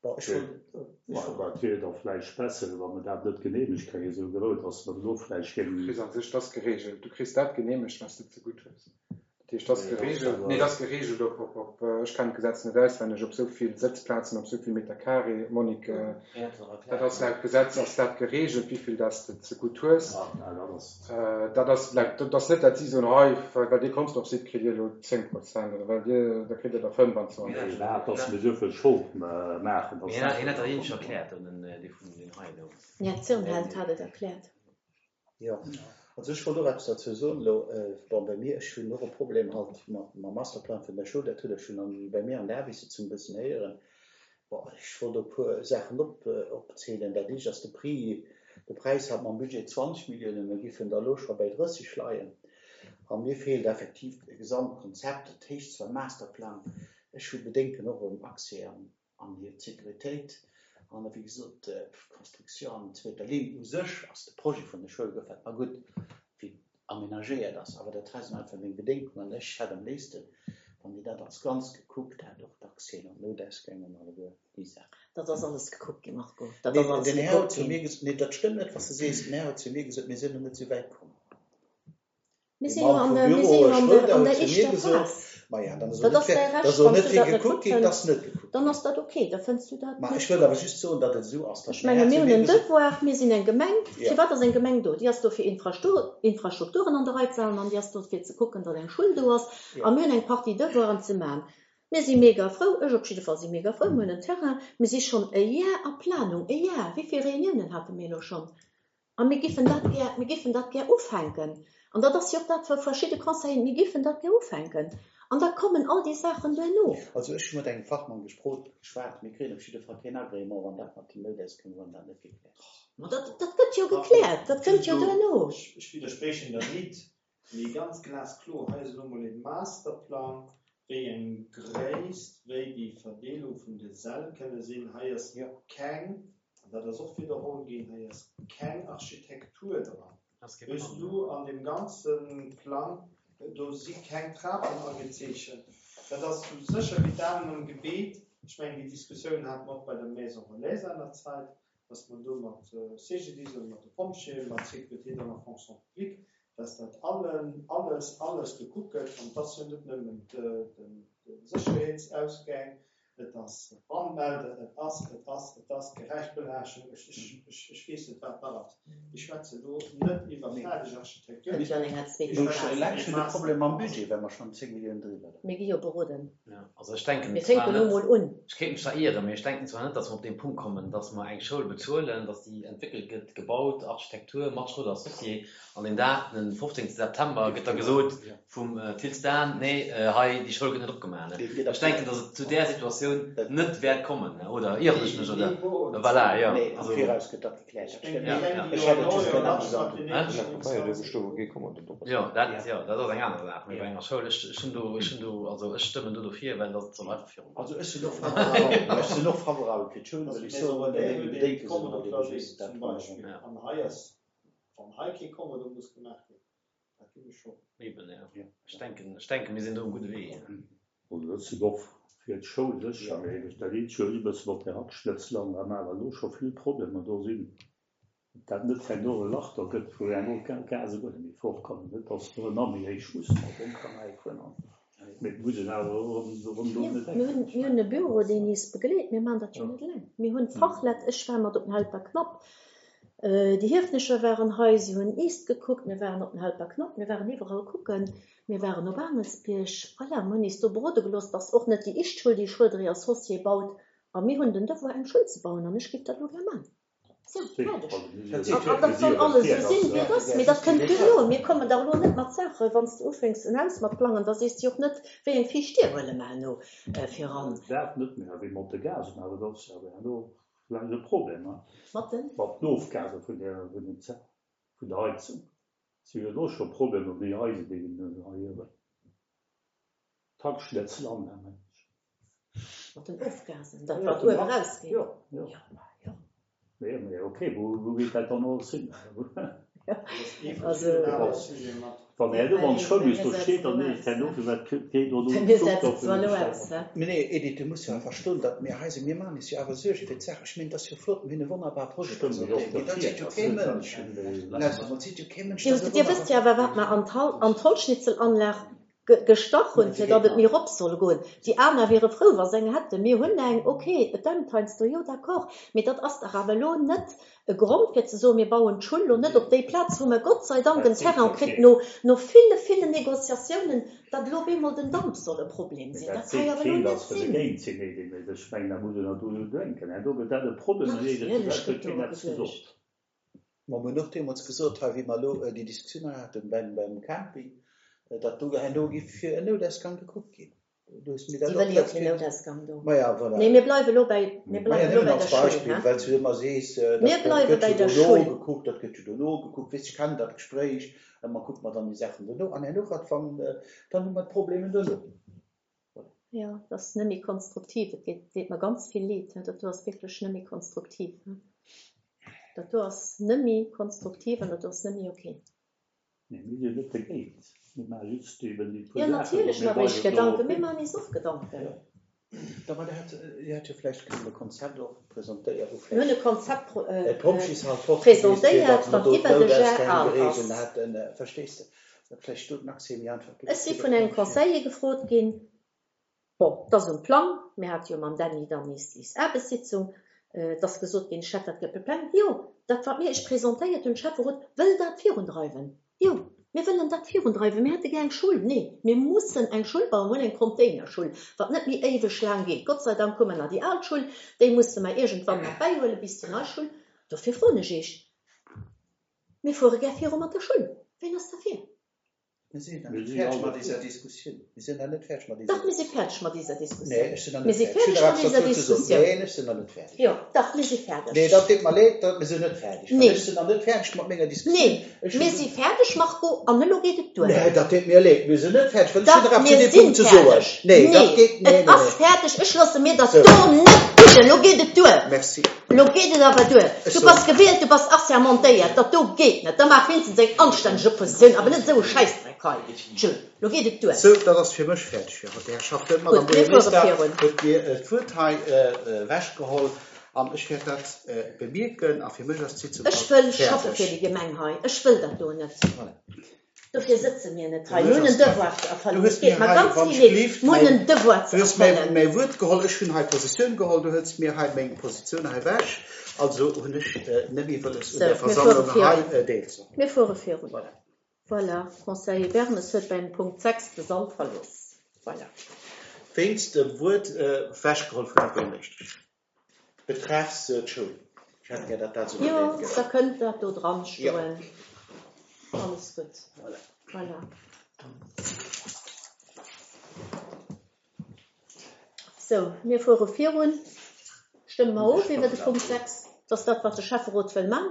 Bon, ech wollt, ech Ma wollt, dat wier da vläicht besser, wa mer dat net geneemegt kréien, esou grouss, dass mer elo vläicht Du géingen. kriss an sech das geregelt. Du kriss dat geneemegt, wat s de ze gutt hues. Dat heescht, dat Nee, dat ass geregelt, awer- nee, dat geregelt op, op, op, äh, ech kennen d'Gesetz net auswenneg, op sou vill Sëtzplazen, op sou vill Meter carré, Monique, äh, dat ass laut Gesetz ass dat geregelt, wéi vill dass de ze gutt hues. Ah, na, dat ass. Äh, dat ass laut, dat ass net, dat si soen, hei, well dir Consdorf sidd, kritt dir elo zéng Prozent, oder well dir, da kritt dir der fënnwandzwanzeg. Nee, dat, dass mir esou vill Schold äh, maachen, dass Hien hat hien hat dat ähnlech erkläert, den, äh, dee vun den hei do. Ja, Zirnheld hat et erkläert. ja. Also ech wollt och eppes dozou soen, elo, äh, bon, bei mir, ech hunn och e Problem halt mat, mam Masterplan vun der Schoul, dat hutt der schonn an, bei mir an der Aarbechtssitzung e bëssen héieren. Bon, ech wollt e puer Saachen op, äh, opzielen. Dat éischt ass de Prix, de Präis hat mam Budget zwanzeg Milliounen, mir giffen da elo scho bei drësseg leien. An mir feelt effektiv e Gesamtkonzept, dat heescht zwar Masterplan, ech hu Bedenken och ëm Accès an, an hir Sécuritéit. An wéi gesot, äh, Construction an zweeter Linn u sech ass de Projet vun der Schoul gefält mer gutt, wéi amenagéiert ass, awer dat hei sinn einfach meng Bedenken an ech hätt am léifsten, wann Dir dat als Ganz gekuckt hätt, och d'Accès an d'Noutausgäng an alleguer déi Saachen. Dat ass alles gekuckt ginn, Marco. Dat Nee, ass alles den Här huet gekuckt zu ginn. mir ges-, nee, dat stëmmt net, wat du sees. Den Här huet zu mir gesot, mir sinn noch net sou wäit komm. Mir De sinn jo Mann an vum der, mir Büro sinn jo an Schröder der, an huet der zu mir éischter gesot, Phas. ma ja, dann soll Dat net ass fir, däi da Recht, soll wann net du fir dat net gekuckt gutt ginn, fënns, dass net gekuckt dann ginn. ass dat okay, da fënns du dat Ma net ech wëll gutt. awer just soen, datt et esou ass, datt Ech den menge Här mir zu hunn mir en gesot, Devoir, mir sinn eng Gemeng. ja. Firwat ass eng Gemeng do? Déi ass do fir Infrastur Infrastrukturen an der Rei ze halen an déi ass do fir ze kucken, datt eng Schoul do ass. Ja. A mir hunn eng Partie Devoiren ze maachen. Mir si mega frou, ech op jidde Fall si mega frou, mir hunn en Terrain, mir si schonn e Jar a Planung, e Jar. Wéi vill Reuniounen hate mir elo schonn? A mir giffen dat gär, mir giffen dat gär ufänken. An dat ass jo och dat, wat verschidde Conseilleren, mir giffen dat gär ufänken. An da kommen all déi Saachen duerno. Also ech hu mat engem Fachmann gesprot, geschwat, mir kréien op jidde Fall keen Agrément, wann dat mat den Noutausgäng, wann dat net gekläert ass. Ma dat, dat gëtt jo gekläert, dat kënnt jo duerno. Ech, ech widdersprechen der net, mee ganz glaskloer, hei ass elo mol e Masterplan, wéi eng Gréisst, wéi déi Verdeelung vun de Säll kënne sinn. Hei ass Ja. keng, an dat ass och widderholl ginn, hei ass keng Architektur dran. Das geht Wëss du an dem ganze Plang, do si keng Trapen agezeechent. Dat ass sou sécher wéi d'Amen am Gebet, Ech mengen, déi Diskussioun hate mer och bei der Maison relais seinerzäit, dass mer do mat C G D I S oder mat de Pompjeeën, mat Sécurité dans la fonction publique, dass dat allen, alles, alles gekuckt gëtt. An et ass jo net nëmmen de Sécherheetsausgäng, et ass d'Brandmelder, et ass, et ass, et ass d'Geräichbelaaschtung, ech, ech, ech, ech weess net, wat nach ass. Ech schwätze elo net iwwer fäerdeg Architektur. Den Janneng hat zwee Mir hu Phasen. eleng schonn de Problem mam Budget, well mer schonn zéng Milliounen driwwer leien. Mir gi jo beroden. Ja, also ech denken Mir zwar fänken elo net, mol un. ech kéint mech zwar ieren, mee ech denken zwar net, datt mer op dee Punkt kommen, datt mer eng Schoul bezuelen, datt déi entwéckelt gëtt, gebaut, Architektur mat Schröder Associés, an deen Dag, den fofzéngte September, gëtt da gesot vum Thill Stan, nee, hei déi Schoul gëtt net opgemaach. Ech denken, datt et zu där Situatioun net wäert kommen, oder ieren ech mech, oder? Voilà, jo. Nee, am Also. Viraus gëtt dat gekläert, dat stëmmt. Ja, ja. Ech hätt et just gär amusant. Jo, dat, jo, dat ass eng aner Saach, mee bei enger Schoul, ech, ech hunn do, ech hunn do, also ech stëmmen do dofir, well dat soll einfach virugoen. Also ech sinn och favorabel, ech sinn och favorabel fir d'Schoul, Also well ech d'Maison soen, relais meng huet ee Bedenke sinn Kommodo halt ebe Clavier just dat zum ronderëm. Beispill. Ja. An hei ass, wann hei kee Kommodo muss gemaach ginn, dat ginn ech schonn. Eben, jo. Ja. Ech denken, ech denken, mir sinn do um gudde Wee. Also dat sinn och fir d'Schoul sécher, mee dat eent jo e bëssen op der Hackschnëtzel an da maachen elo scho vill Problemer do sinn. Ob dat net herno e Lach da gëtt, wou herno d'Gase guer net méi fortkommen, net datt do nach méi héich mussen mat dem Kanal fueren an mee et muss een awer erëm erëm do Jo, net mir hunn, denken. mir hunn e Büro, deen is begleet. Mir maachen dat jo net eleng. Mir hunn Fachleit, ech war mat op den Helperknapp, déi Hiefnecher waren hei, si hunn East gekuckt, mir waren op den Helperknapp, mir waren iwwerall kucken, mir waren op Aangelsbierg. Voilà, mir hunn is do berode gelooss, dass och net déi éischt Schoul, déi Schröder Associé baut, a mir hunn den Devoir, eng Schoul ze bauen, an ech géif dat elo gär maachen. Sou, fäerdeg. An dat soll alles esou sinn, wéi et ass. Mee dat kënnt duerno. Mir kommen dach elo net mat Saachen, wann s de ufänks en Haus mat plangen, da sees de jo och net, wéi eng viischt Dier huele mer herno viran. Dat net méi, wéi mat de Gasen, awer dat ass jo herno vläicht e Problem, hein? Mat den? Mat den Ofgase vun der, vun den Ze-, vun der Heizung. Si hu jo elo scho Problemer, déi Eisebunn hei uewen. D'Hackschnëtzel an, mengen ech. Mat den Ofgasen, dat Ja, wat den uewe Hack, rausgeet? jo, jo. Jo, ma jo. Nee, mee okay, wou, wou geet dat dann alles hin? Ja, Dat ass ee also. verschiddenen anere Sujet mat. Wann herno wann d'Schoul bis do Mir steet, setzen dann elo ist aus, herno, hä? firwat geet do Mir den Zuch setzen do zwar vun elo dem aus, Stau? hä? Mee nee, Edith, du muss jo awer verstoen, datt mir hei sinn. Mir maachen eis jo awer Suerge fir d'Saach. Ech mengen, et ass jo flott, mir hunn e wonnerbare Projet Stëmmt jo och presentéiert, mee dat dofir, seet jo ass kee net dat Mënsch. ech hunn Lauschtert mol, et seet jo kee Mënsch, Dir, dat ass e dir wësst jo wonnerbare awer, wat mer an d'Hal, an d'Holzschnitzelanlag ge, gestach hunn, Mä se fir datt geet et méi nach. erop soll goen. Déi aner wiere frou, wa se eng hätten. Mir hunn eng, okay, et dämpt heiansdo, jo, d'accord, mee dat ass dach awer elo net e Grond, fir ze soen, mir bauen d'Schull elo net op déi Plaz, wou mer Gott sei Dank Dat en seet Terrain jo kritt, keen. no, no ville, villen Négociatiounen, datt elo op eemol den Damp soll e Problem Mee sinn. dat Dat ka seet jo awer elo keen, net datt se sinn. dogéint sinn, Edith. Mee ech mengen, da muss een och dru denken. Herno gëtt dat e Problem, an jeder Natierlech huet gëtt keen doru eppes geduecht. gesot. Mer hunn och deemools gesot, hei, wéi mer elo déi Diskussioun haten beim, beim Camping, datt do herno géif fir en Noutausgang gekuckt ginn. Du hues mir Déi dat och wëlle jo letzt keen Kéier. Noutausgang do. Maja, voilà. Nee, mir bleiwe elo bei, mir Maja, bleiwe elo nëmmen bei als der Schull, Beispill, hä? well s du ëmmer sees, Mir dat gëtt bleiwe bei jo der dono Schull. gekuckt, dat gëtt jo dono gekuckt. Weess, ech kennen dat Gespréich, ëmmer kuckt mer dann déi Saachen dono an herno wat wann, dann hu mer d'Problemen dono. Voilà. Jo, dat ass net méi konstruktiv. Et geet, deet mer ganz vill leed, hä? Dat do ass wierklech net méi konstruktiv, hä? Dat do ass net méi konstruktiv an dat do ass net méi okay. Nee, mir sinn net dogéint. Mir maache just eben déi puer Jo, Saachen, wou natierlech mir maache mer eis weisen do Gedanken. Mir hin. maachen eis och Gedanken. Ja. Da, ma der hätt, Dir hätt jo vläicht kënnen e Konzept och presentéieren, wou Mir hunn e vläicht Konzept pro, äh, d'Pompjeeshal fort gewiescht wier, presentéiert, datt mer wat do iwwer de Ger d'Noutausgäng al geregelt ass. hätten. Verstees de? Datt vläicht do den Accès méi einfach Ech gewiescht si wier, vun datt engem d'Pompjeeë. Conseiller gefrot ginn, bon, dat ass um Plang, mir hate jo mam Dany dann nees is Aarbechtssitzung, et ass gesot ginn, Chef, dat gëtt beplangt. Jo, dat wat mir iech presentéiert hunn, Schäfferot wëll dat virundreiwen. Jo, mir wëllen dat virundreiwen. Mir hätte gär eng Schull. Nee, mir mussen eng Schull bauen, mir hunn eng Containerschull, wat net méi éiweg laang geet. Gott sei Dank hu mer nach déi al Schull, déi musse mer iergendwann mat bäihuelen, bis déi nei Schull. Dofir froen ech iech, mir fuere gär viru mat der Schull. Ween ass derfir? Mir sinn nach Mir net sinn fäerdeg all mat dofir. dieser Diskussioun. Mir sinn nach net fäerdeg mat dieser Dach, mir si Diskussioun. fäerdeg mat dieser Nee, Diskussioun. ech sinn nach Mir net si fäerdeg. Ech hunn fäerdeg nach mat eppes dieser dozou ze soen. Diskussioun. Neen, ech sinn nach net fäerdeg. Jo, dach, mir si fäerdeg. Nee, dat deet mer leed, dat, mir sinn net fäerdeg. Well Nee. ech sinn nach net fäerdeg mat menger Diskussioun. Nee, Ech hunn mir si fäerdeg, Marco, an elo geet et duer. Nee, dat deet mir leed. Mir sinn net fäerdeg, well ech hunn Dach, nach eppes zu mir deem sinn Punkt ze soen. fäerdeg. Nee, dat Nee, geet, nee, et nee, ass nee. fäerdeg. Ech loosse mir dat Sou. do net bidden. Elo geet et duer. Merci. Elo geet et awer duer. Du bass gewielt, du bass assermentéiert. Dat do geet net. Da maach wéinstens eng anstänneg Oppositioun, awer net esou e Schäissdreck hei. Tjö, elo geet et duer. Sou, dat ass fir mech fäerdeg fir haut. Här Herrschaft, d'Madame Gutt, mir fuere Buergermeeschter virun. huet mir d'Wuert hei ewechgeholl an ech wäert dat bemierken a fir mech ass d'Sitzung Ech haut wëll schaffe fäerdeg. fir déi Gemeng hei. Ech wëll dat do net. Voilà. Dofir sëtze mir net Fir hei. mech Mir hunn ass en dat. Devoir ze Du erfëllen. hues Et geet mir mer hei, ganz wann ech vill leed. gleeft, Mir hunn mäin, en Devoir ze du hues mäi, erfëllen. mäi Wuert geholl, ech hunn hei Positioun geholl, du hues mir hei meng Positioun hei ewech, also hunn ech net méi wëlles un Sou, där mir fuere Versammlung hei virun. deelzehuelen. Mir fuere virun. Voilà. Voilà, Conseiller Bermes huet beim Punkt sechs de Sall verlooss. Voilà. Wéinst dem Wuert ewechgeholl vun der Buergermeeschtesch betreffs d'Schoul. Ech hätt gär, datt dat esou Jo, erwähnt gëtt. da kënnt dat do dran Jo. stoen. Alles gutt. Voilà. Voilà. Sou, mir fuere virun. Stëmme mer of iwwer de Punkt sechs. Dat ass dat, wat de Schäfferot wëll man.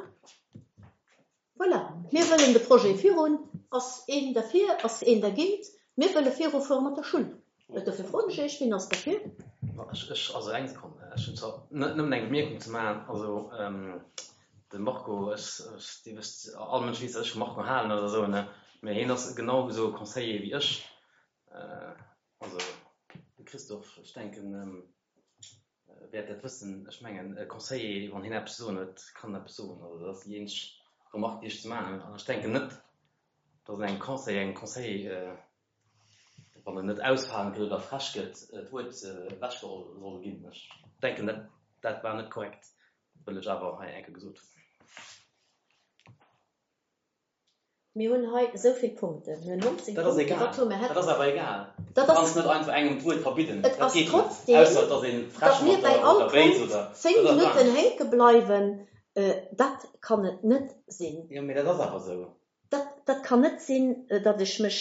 Voilà. Mir wëllen de Projet virun. Ass een derfir? Ass een dergéint? Mir wëlle virufuere mat der Schull. Dofir froen ech Iech, Wien ass derfir? Ech, ech, also eng Sekonn, ech hunn zwar net nëmmen eng Bemierkung ze maachen. Also de Marco, ech, ech, Dir wësst, all Mënsch weess, datt ech vum Marco halen oder esou, ne? Mä hien ass genau esou Conseiller wéi ech. Also de Christophe, ech denken, wäert dat wëssen. Ech mengen, e Conseiller, wann hien eppes ze soen huet, kann en eppes soen. Also dat ass déi eenzeg Remarque, déi ech ze maachen hunn. An ech denken net, datt engem Conseiller, engem Conseiller, wann en net ausfalend gëtt oder frech gëtt, d'Wuert ewechgeholl soll ginn. Ech denken, dat, dat war net korrekt, wëll ech awer hei eng Kéier gesot hunn. Mir hunn hei esou vill Punkten. Mir hunn neunzehn Dat ass Punkten. egal. Wat hu mir Dat ass awer egal. Dat Du ass kanns net einfach engem d'Wuert verbidden. Et Dat ass geet net. trotzdem, Ausser et ass een frech datt mir mat bei der, all oder béis Punkt oder. zéng Dat ass Minutten anescht. hänke bleiwen. Dat kann et net sinn. Jo, mee dat ass awer esou. Dat, dat kann net sinn, datt ech mech,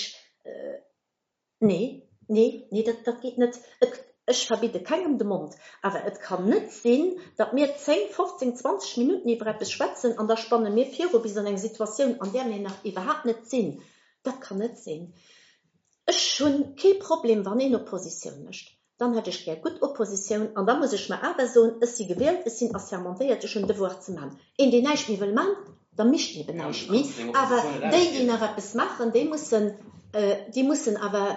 nee, nee, nee, dat, dat geet net. Et, ech verbidde kengem de Mond, awer et kann net sinn, datt mir zéng, fofzéng, zwanzeg Minutten iwwer eppes schwätzen an da spanne mir viru bis an eng Situatioun, an där mir nach iwwerhaapt net sinn. Dat kann net sinn. Ech hunn kee Problem, wann een Oppositioun mécht. Dann hätt ech gär gutt Oppositioun an da muss ech mer awer soen, ech si gewielt, ech sinn assermentéiert, ech hunn Devoir ze man. Een, deen näischt méi wëll man, da mécht eben Ja, näischt du méi. kanns deng Awer Oppositioun net déi, déi ausginn. nach eppes maachen, déi mussen, déi mussen awer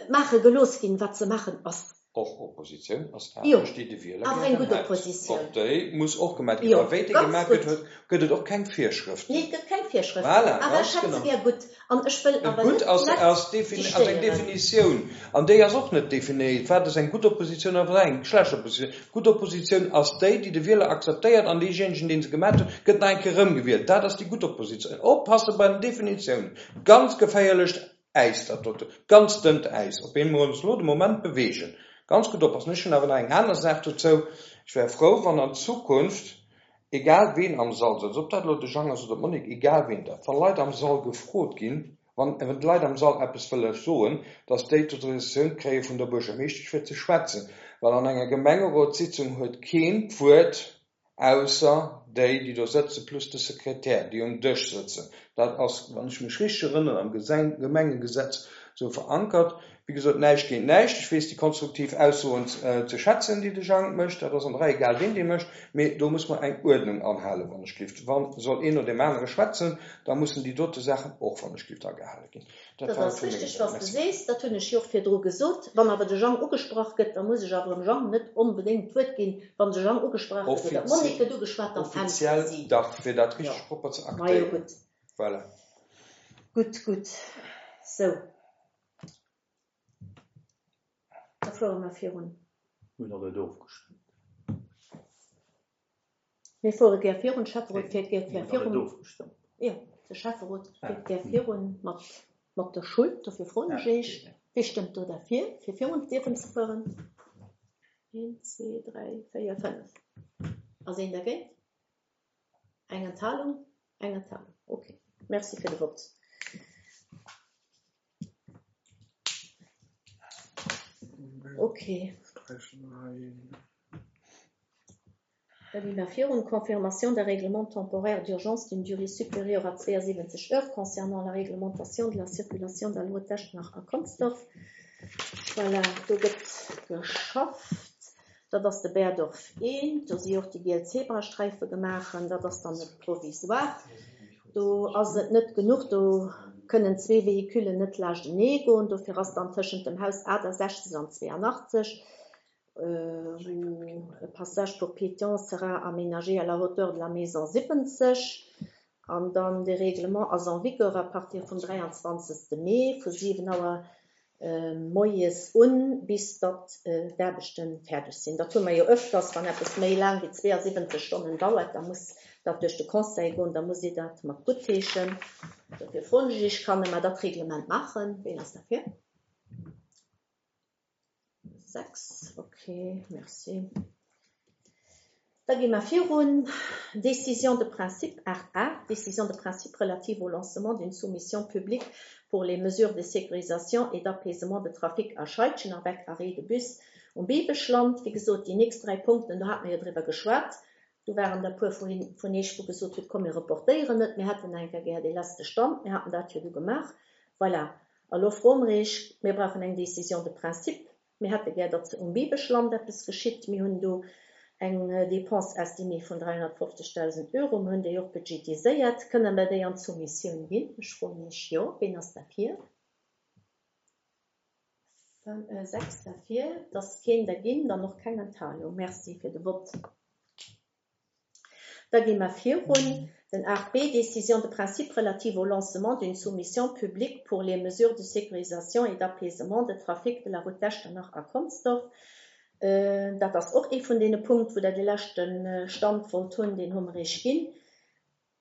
maache gelooss ginn, wat ze maachen ass. Och Oppositioun ass Jo, Aarbecht, déi de Wieler awer eng gären gutt hätt. Oppositioun. Och déi muss och gemat ginn. Jo, A wéi déi ganz gemat gutt. gëtt, huet, gëtt et och keng Virschrëften. Nee, et gëtt keng Virschrëften. Voilà, Awer ganz ech hätt se genau. gär gutt. An ech wëll Et awer gutt net ass, d'Leit ass defini-, ass eng dictéieren. Definitioun. An déi ass och net definéiert. Wat ass eng gutt Oppositioun a wat eng schlecht Oppositioun? Gutt Oppositioun ass déi, déi de Wieler akzeptéiert an deejéinegen, deen se gemat huet, gëtt nach eng Kéier erëmgewielt. Dat ass déi gutt Oppositioun. Oppasse bei den Definitiounen. Ganz geféierlecht Äis, dat dote. Ganz dënnt Äis, op deem mer ons elo de Moment beweegen. Ganz gutt oppassen. Ech hunn awer nach eng aner Saach dozou. Ech wär frou, wann an Zukunft, egal ween am Sall sëtzt, ob dat elo de Jang ass oder d'Monique, egal ween dat, wa Leit am Sall gefrot ginn, wann d'Leit am Sall eppes wëlle soen, dass déi d'Autorisatioun kréie vun der Buergermeeschtesch fir ze schwätzen. Well an enger Gemengerotssitzung huet keen d'Wuert, ausser déi, déi do sëtzen, plus de Sekretär, déi um Dësch sëtzen. Dat ass, wann ech mech richteg erënneren, am Gemengegesetz esou verankert. Wéi gesot, näischt géint näischt. Ech weess déi konstruktiv Aussoen ze schätzen, déi de Jang mécht. Dat ass an der Rei, egal ween déi mécht. Mee do muss mer eng Uerdnung anhalen, wann ech gelift. Wa soll een no deem anere schwätzen, da mussen déi dote Saachen och, wann ech gelift, agehale ginn. Dat Dat war ass vu menger richteg, Säit. was de Merci. sees. Dat hunn ech jo och virdru gesot. Wann awer de Jang ugesprach gëtt, da muss ech awer dem Jang net onbedéngt d'Wuert ginn. Wann de Jang ugesprach gëtt oder d'Monique gëtt ugeschwat, dann äntwert Offiziell si. dach, fir dat Jo. richteg propper ze Majo, aktéieren. gutt. Voilà. Gutt, gutt. Sou. Da fuere mer virun. Hunn der net ofgestëmmt. Mir fuere gär virun. Schäfferot fiert gär Hunn der net virun. ofgestëmmt. Jo, de Schäfferot fiert gär virun mat, mat der Schull. Dofir froen ech Iech. Wie stëmmt do derfir, fir virun dierfen ze fueren? Een, zwee, dräi, véier, fënnef. Ass een dergéint? Eng Enthalung? Eng Enthalung. Okay. Merci fir de Vott. Okay. Da gi mer virun. Confirmation d'un règlement temporaire d'urgence d'une durée supérieure à zwouasiwwenzeg heures concernant la réglementation de la circulation der Loi d'Echternach a Consdorf. Voilà, do gëtt geschafft. Dat ass de Berdorf eent, do si och déi giel Zebrasträife gemaach, dat ass dann e provisoire. Do ass et net genuch, do kënnen zwee Véhiculen net laanschtenee goen, dofir ass dann tëschent dem Haus achtasechzeg an zweeanachtzeg, wou e passage pour piétons sera aménagé à la hauteur de la maison siwwenzeg. An dann de Règlement ass en vigueur à partir vum dräianzwanzegste Mee vu siwen Auer moies un, bis datt d'Aarbechte fäerdeg sinn. Dat hu mer jo öfters, wann eppes méi laang wéi zweeasiwwenzeg Stonnen dauert, da muss dat duerch de Conseil goen, da muss ee dat mat guttheeschen. Dofir froen ech Iech, Kann mer dat Reglement maachen? Ween ass derfir? Sechs, okay, merci. Da gi mer virun. Décision de principe aacht A, Décision de principe relative au lancement d'une soumission publique pour les mesures de sécurisation et d'apaisement de trafic à Scheidgen avec arrêt de bus um Biweschland. Wéi gesot, déi nächst dräi Punkten, do hate mer jo driwwer geschwat. Do waren der e puer vun Iech, wou gesot hutt, komm, mir reportéieren et, mir hätten eng Kéier gär dee leschte Stand. Mir haten dat jo du gemaach. Voilà. A lo froe mer Iech, mir brauchen eng Décision de principe. Mir hätte gär, datt um Biweschland eppes geschitt. Mir hunn do eng Dépense estimée vun dräihonnertfofzegdausend Euro, mir hunn déi och budgetiséiert. Kënne mer déi an d'Soumissioun ginn? Ech froen Iech, jo. Ween ass derfir? Sechs derfir. Et ass keen derginn, dann och keng Enthalung. Merci fir de Vott. Da gi mer virun. Den aacht B, Décision de principe relative au lancement d'une soumission publique pour les mesures de sécurisation et d'apaisement de trafic de la route d'Echternach à Consdorf. Dat ass och ee vun deene Punkt, wou Der de leschte Stand wollt hunn, deen hu mer Iech ginn.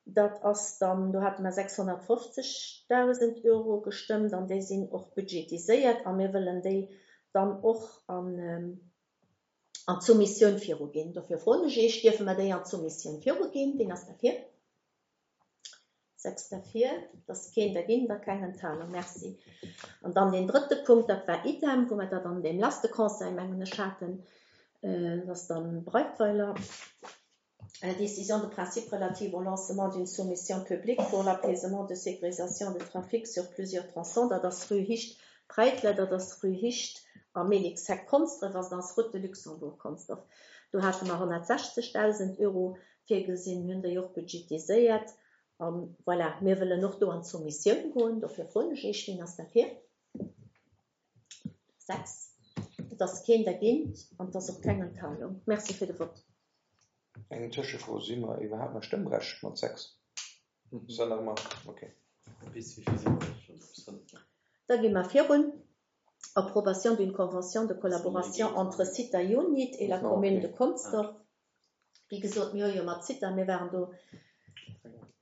Dat ass dann, do hate mer sechshonnertfofzegdausend Euro gestëmmt an déi sinn och budgetiséiert a mir wëllen déi dann och an an d'Soumissioun viruginn. Dofir froen ech Iech, dierfe mer déi an d'Soumissioun viruginn? Wien ass derfir? Sechs derfir, et ass keen derginn, da keng Enthalung. Merci. An dann deen drëtte Punkt, dat war idem, wou mer dat an deem leschte Conseil, mengen ech, haten, dat ass dann Breitweiler. Décision de principe relative au lancement d'une soumission publique pour l'apaisement de sécurisation de trafic sur plusieurs tronçons, dat ass rue Hicht Breitler, dat ass rue Hicht a Mélixheck Konsdref, also dat ass Route de Luxembourg Konsdorf. Do hate mer honnertsechzegdausend Euro virgesinn, mir hunn déi och budgetiséiert. An voilà, mir wëllen och do an d'Soumissioun goen, dofir froen ech Iech, wien ass derfir? Sechs. Et ass keen dergéint an et ass och keng Enthalung. Merci fir de Vott. Eng Tëschefro, Si mer iwwerhaapt nach stëmmberechtigt mat sechs? Ass dat nach ëmmer okay? Bis wéi vill si mer schonn? Bis fënnef, ne? Da gi mer virun. Approbation d'une convention de collaboration entre Sita Unit et la commune de Consdorf. Wéi gesot, mir hu jo mat Sita, mir waren do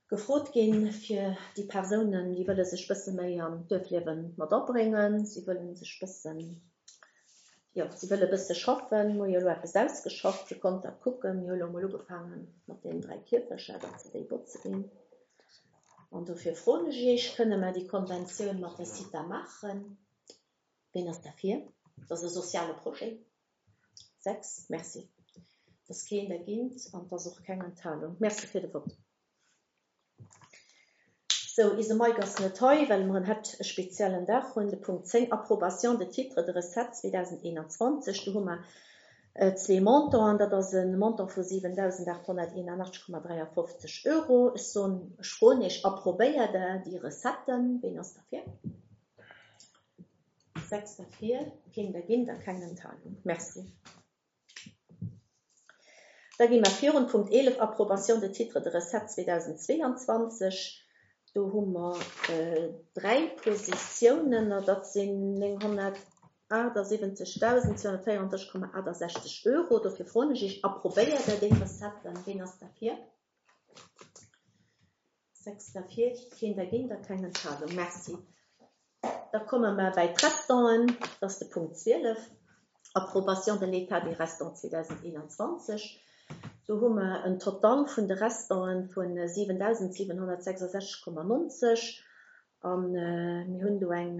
gefrot ginn, fir déi Persounen, déi wëlle sech bësse méi an d'Duerfliewe mat abréngen, si wëlle sech bëssen, jo, si wëlle bësse schaffen. Mir hu jo elo eppes ausgeschafft, Dir konnt dat kucken. Mir hu elo emol ugefaange mat deenen dräi Kierfecher, datt se déi botze ginn. An dofir froen ech Iech, kënne mer déi Konventioun mat der Sita maachen? Wien ass derfir? Dat ass e soziale Projet. Sechs, merci. Et ass keen dergéint an et ass och keng Enthalung. Merci fir de Vott. Sou, eise Mike ass net hei, well mer en haut e speziellen Dag hunn. De Punkt zéng, Approbation de titres de recettes zweedausendeenanzwanzeg. Do hu mer zwee Montanten. Dat ass e Montant vu siwentausendachthonnerteenanachtzeg Komma dräiafofzeg Euro. Ech soen, ech froen Iech, approbéiert Der déi Recetten? Ween ass derfir? Sechs derfir, keen dergéint a keng Enthalung. Merci. Da gi mer virun. Punkt eelef, Approbation de titres de recettes zweedausendzweeanzwanzeg. Do hu mer dräi Positiounen, a dat sinn nénghonnertaachtsiwwenzegdausendzweehonnertvéierunddrësseg Komma achttasechzeg Euro. Dofir froen ech Iech, approbéiert Der déi Recetten? Ween ass derfir? Sechs derfir, keen dergéint a keng Enthalung. Merci. Da komme mer bei d'Restanten, dat ass de Punkt zwielef, Approbation de l'état des restants zweedausendeenanzwanzeg. Do hu mer en Total vun de Restanten vu siwentausendsiewenhonnertsechsasechzeg Komma nonzeg an mir hunn do eng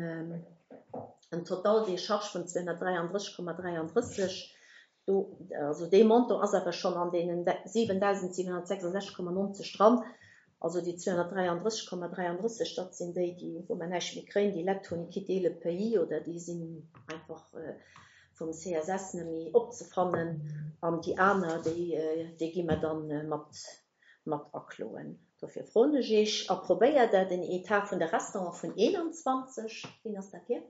en Total des charges vun zweehonnertdräianddrësseg Komma dräianddrësseg. Do, also dee Montant ass awer schonn an deenen siwentausendsiewenhonnertsechsasechzeg Komma nonzeg dran. Also déi zweehonnertdräianddrësseg Komma dräianddrësseg, dat sinn déi, déi wou mer näischt méi kréien, déi Leit hunn quitté le pays oder déi sinn einfach vum C S S net méi opzefannen. An déi aner, déi, déi gi mer dann mat, mat akloen. Dofir froen ech Iech, approbéiert Der den Etat vun de Restaurant vun eenanzwanzeg? Wien ass derfir?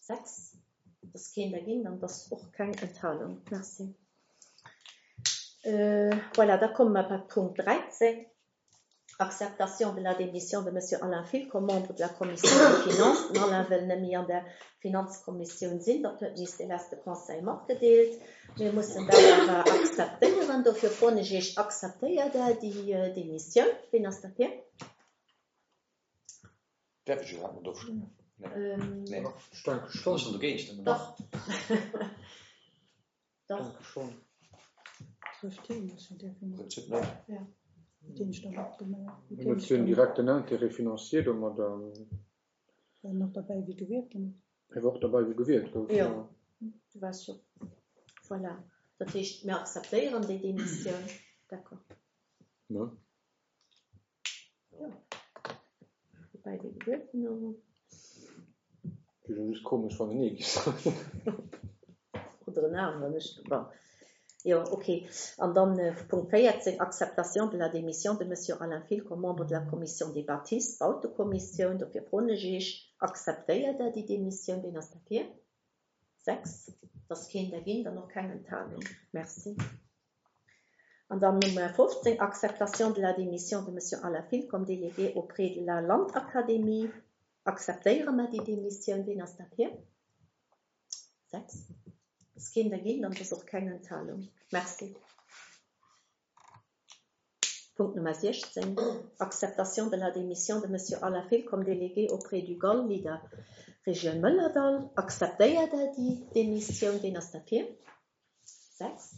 Sechs. Dat ass keen dergéint an dat ass och keng Enthalung. Merci. Euh, voilà, da komme mer bei Punkt dräizéng. Acceptation de la démission de Monsieur Alain Fill comme membre de la Commission des Finances. Den Alain wëll net méi an der Finanzkommissioun sinn, dat huet eis de leschte Conseil matgedeelt. Mir mussen dat awer akzeptéieren. Dofir froen ech Iech, akzeptéiert Der déi Démissioun? Wien ass derfir? Däerf ech iwwerhaapt mat ofstëmmen? Nee. Nee. Ech denke schonn. Ech dogéint stëmmen. Dach. Dach. Denke schonn. Trëfft hien, also däerf een Im Prinzip net. Ja. Mit denen ich dann abgemacht. Mit Hien denen huet ich jo en dann direkten Intérêt financier domadder. War noch dabei, wie gewielt ginn. Hie war och derbäi, wéi gewielt gouf, Jo, jo. du waars jo. Voilà. Dat heescht, mir akzeptéieren déi Demissioun. D'accord. Ne? Jo. Wobäi déi gewielt ginn, awer. Wier jo just komesch, wann en Nee géif soen. Oder en aneren, ech, bon. Jo, ok. An dann Punkt véierzéng, Acceptation de la démission de Monsieur Alain Fill comme membre de la Commission des bâtisses, Bautekommissioun. Dofir froen ech Iech, akzeptéiert Der déi Démissioun? Wien ass derfir? Sechs. Dat ass keen dergéint an och keng Enthalung. Merci. An dann Nummer fofzéng, Acceptation de la démission de Monsieur Alain Fill comme délégué auprès de la Landakademie. Akzeptéiere mer déi Démissioun? Wien ass derfir? Sechs. Dat ass keen dergéint an dat ass och keng Enthalung. Merci. Punkt Nummer siechzéng, Acceptation de la démission de Monsieur Alain Fill comme délégué auprès du G A L Leader Regioun Mëllerdall. Akzeptéiert Der déi Démissioun? Wien ass derfir? Sechs.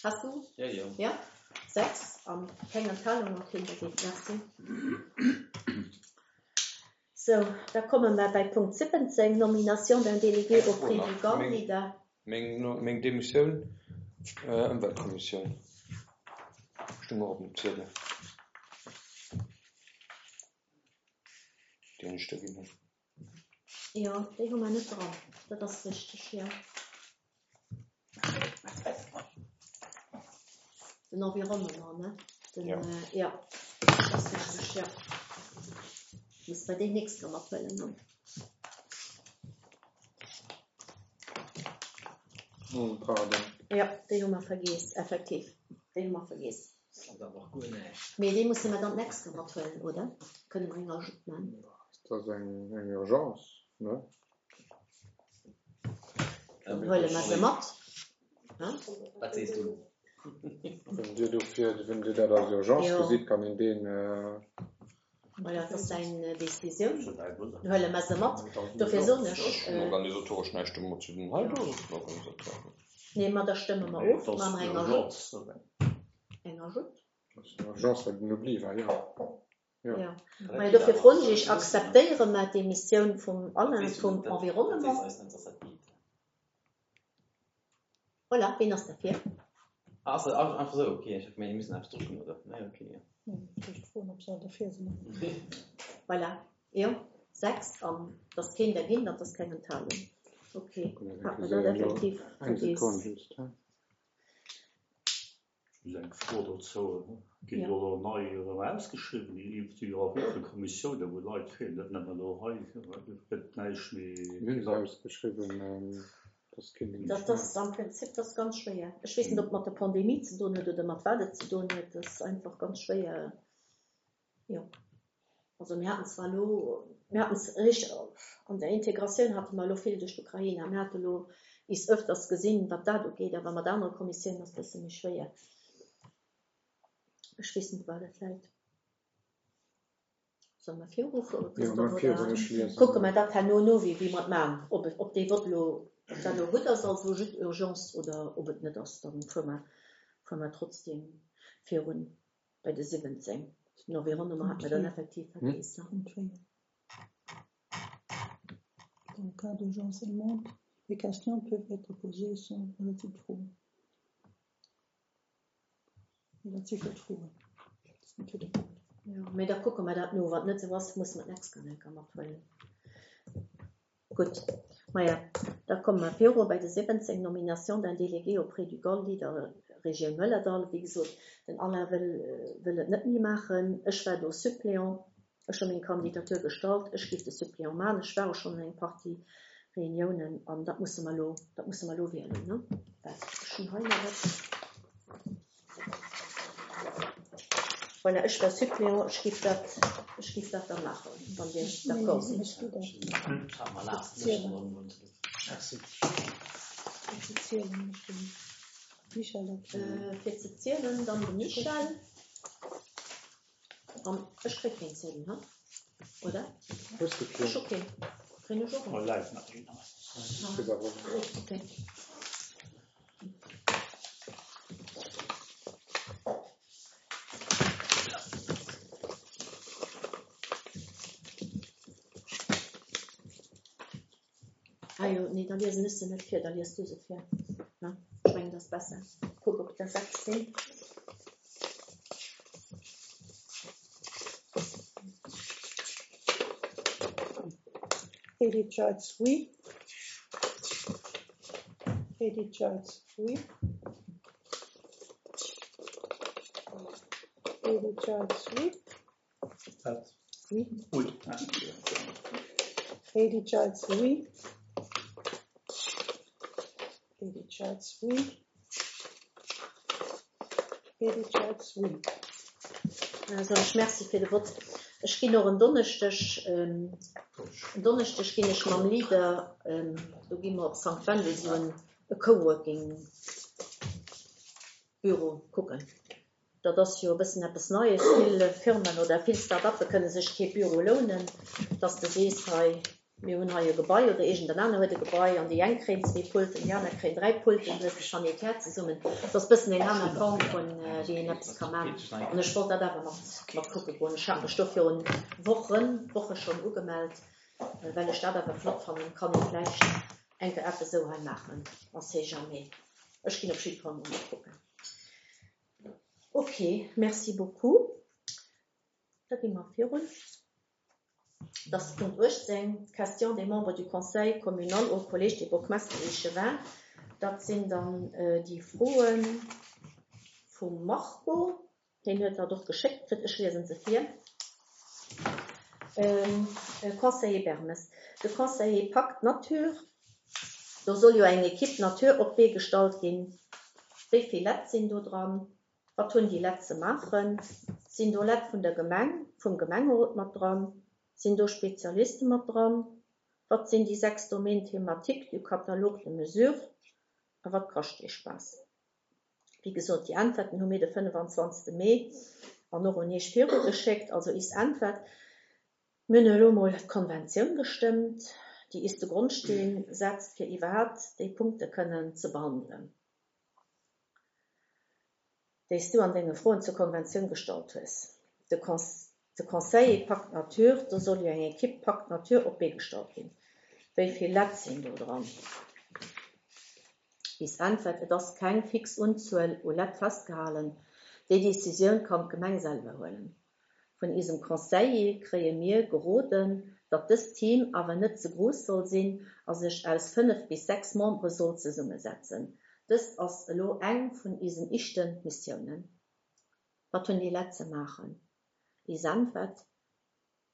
Hast du? Ja, ja. Ja, sechs. An keng Enthalung an keen dergéint. Merci. Sou, da komme mer bei Punkt siwwenzéng, Nomination d'un délégué Eng Fro auprès du nach. G A L Meng, Leader. meng, meng Demissioun, äh, Ëmweltkommissioun. Stung och op dem Ziedel. Deen ech da ginn hunn. Jo, déi hu mer net dran. Dat ass richteg, jo. Den Environnement, ne? Den, Ja. äh, ja. Dat ass richteg, jo. Muss bei déi nächst Kéier mathuelen, ne? Oh, pardon. Ja, déi hu mer vergiess, effektiv. Déi hu mer vergiess. Dat ass awer guer näischt. Mee déi musse mer dann d'nächst Kéier mathuelen, oder? Kënne mer eng Ajout maachen? Dat ass eng, eng Urgence, ne? Dann huele mer se mat. Hein? Wat sees du? Wann Dir dofir, wann Dir dat als Urgence Jo. gesitt, kann een deen, äh, Voilà, dat ass eng Décisioun. Schon ein Wunder. Dann huele mer se mat. dat ass Dofir soen ech, Ech hunn äh, organisatoresch näischt domat ze dinn. Hei, do ass et organisatoresch. Nee, ma da stëmme mer Nee, of. dat ass Maache mer eng Ajout. Urgence. Eng Ajout. Dat ass eng Urgence, well den Oubli war, jo. Ja. Ja. Mä dofir froen ech Iech, akzeptéiere mer d'Demissioun vum Alain vum Environnement? Dat sees eis net, dass dat geet. Voilà, wien ass derfir? Ah, ass dat einfach esou? Okay, ech hab gemeent, mir müssen eppes drücken, oder? Nee, okay, ja. Ja, ech froen, ob se all derfir sinn. Voilà, jo, sechs an dat ass keen dergéint an dat ass keng Enthalung. Okay, hat mer dat effektiv Eng vergiess. Sekonn just, he? Just eng Fro dozou. Ginn Ja. do elo nei erëm ausgeschriwwen? Déi si jo och wéi vill Kommissiounen, wou Leit fehlen, net nëmmen elo hei, et gëtt näischt méi. Mir hunn se ausgeschriwwen, ähm, das keen Dat ass am Prinzip, dat ass ganz schwéier. Ech weess net, ob mat der Pandemie ze doen huet oder mat wat et ze doen huet. Dat ass einfach ganz schwéier. Jo. Also mir haten zwar elo, mir haten es richteg, an der Integratioun hate mer elo vill duerch d'Ukraine. Mir hate elo is öfters gesinn, wat dat ugeet, awer mat anere Kommissiounen ass et e bësse méi schwéier. Ech weess net, wat dat läit. Solle mer virufueren, Jo, Christophe, mar oder virun, ech liesen. kucke mer dat herno no, wéi, wéi mer et maachen. Ob et, ob dee Vott elo, ob dat elo gutt ass, also just Urgence, oder ob et net ass, dann fuere mer, fuere mer trotzdem virun bei de siwwenzéng. Den Environnement hat mer dann effektiv vergiess. Punkt véier. Dans le cas d'urgence seulement, les questions peuvent être posées sans relative Froen. Dat si fir d'Froen. Dat ass net fir de Punkt. Jo, mee da kucke mer dat no. Wann et net esou ass, musse mer d'nächst Kéier eng Kéier mathuelen. Gutt. Maja, da komme mer viru bei de siwwenzéng, Nomination d'un délégué auprès du GAL Leader Regioun Mëllerdall. Wéi gesot, den Alain wëll, wëll et net méi maachen. Ech war do Suppléant. Ech hu meng Kandidatur gestallt. Ech géif de Suppléant maachen. Ech war och schonn an eng Partie Reuniounen an dat musse mer elo, dat musse mer elo wielen, ne? Waart, ech hunn hei nach eppes. Voilà, ech war Suppléant. Ech géif dat, ech géif dat da maachen, wann Dir d'accord sidd. Fir ze zielen, dann de Michel. An ech kréie keen Ziedel, he? Oder? Hues du keen? Ech hu keen. Kréien ech och een? Kriss awer och een. Okay. Ah jo, nee, da liesen ech se net vir, da lies du se vir. Ne? Ech mengen, dat ass besser. Kuck, ob der sechs sinn. Edith Jeitz, oui. Edith Jeitz, oui. Edith Jeitz, oui. Wat? Oui. Oui. Edith Jeitz, oui. Edith Jeitz, oui. Edith Jeitz, oui. Also ech merci fir de Vott. Ech ginn och en Donneschdeg, en Donneschdeg ginn ech mam Leader, do gi mer op Sankt Wendel esou en e Coworking Büro kucken. Dat ass jo e bëssen eppes Neies. Vill Firmen oder vill Start-uppe kënne sech kee Büro lounen, dass de sees, hei, mir hunn hei e Gebai oder iergend en aner huet e Gebai an déi eng kréien zwee Pulten, déi aner kréien dräi Pulten, du hues de Sanitär zesummen. Dat ass e bëssen eng aner Form vun, wéi een eppes ka man. An ech wollt dat awer mat, mat kucke goen. Ech hat mech do virun Wochen, Woche schonn ugemellt, well ech dat awer flott fannen. Kann ee vläicht eng Kéier eppes esou hei maachen, on sait jamais. Ech ginn op jidde Fall mol mat kucken. Ok, merci beaucoup. Da gi mer virun. Dat ass Punkt uechtzéng, Questions des membres du Conseil communal au Collège des bourgmestres et échevins. Dat sinn dann déi Froe vum Marco. Hien huet dat och geschéckt kritt. Ech liesen se vir. Conseiller Bermes, De Conseiller Pacte Nature, do soll jo eng Equipe Nature op d'Bee gestallt ginn. Wéi vill Lett sinn do dran? Wat hunn déi Lett ze maachen? Sinn do Lett vun der Gemeng, vum Gemengerot mat dran? Sinn do Spezialiste mat dran? Wat sinn déi sechs Domaines thématiques du catalogue de mesures? A wat kascht dee Spaass? Wéi gesot, déi Äntwerten hu mir de fënnefanzwanzegste Mee an och un Iech virugeschéckt. Also is Äntwert, Mir hunn elo emol d'Konventioun gestëmmt, déi is de Grondsteen setzt, fir iwwerhaapt déi Punkte kënnen ze behandelen, déi s du an denge Froen zur Konventioun gestallt hues. De De Conseiller Pacte Nature, do soll jo eng Equipe Pacte Nature op d'Bee gestallt ginn. Wéi vill Lett sinn do dran? Is Äntwert, Et ass keng fix Unzuel u Lett festgehalen. Déi Decisioun kann d'Gemeng selwer huelen. Vun isem Conseiller kréie mir geroden, datt dëst Team awer net ze grouss soll sinn a sech aus fënnef bis sechs Membere soll zesummesetzen. Dëst ass elo eng vun isen ischte Missiounen. Wat hunn déi Lett ze maachen? Is Äntwert,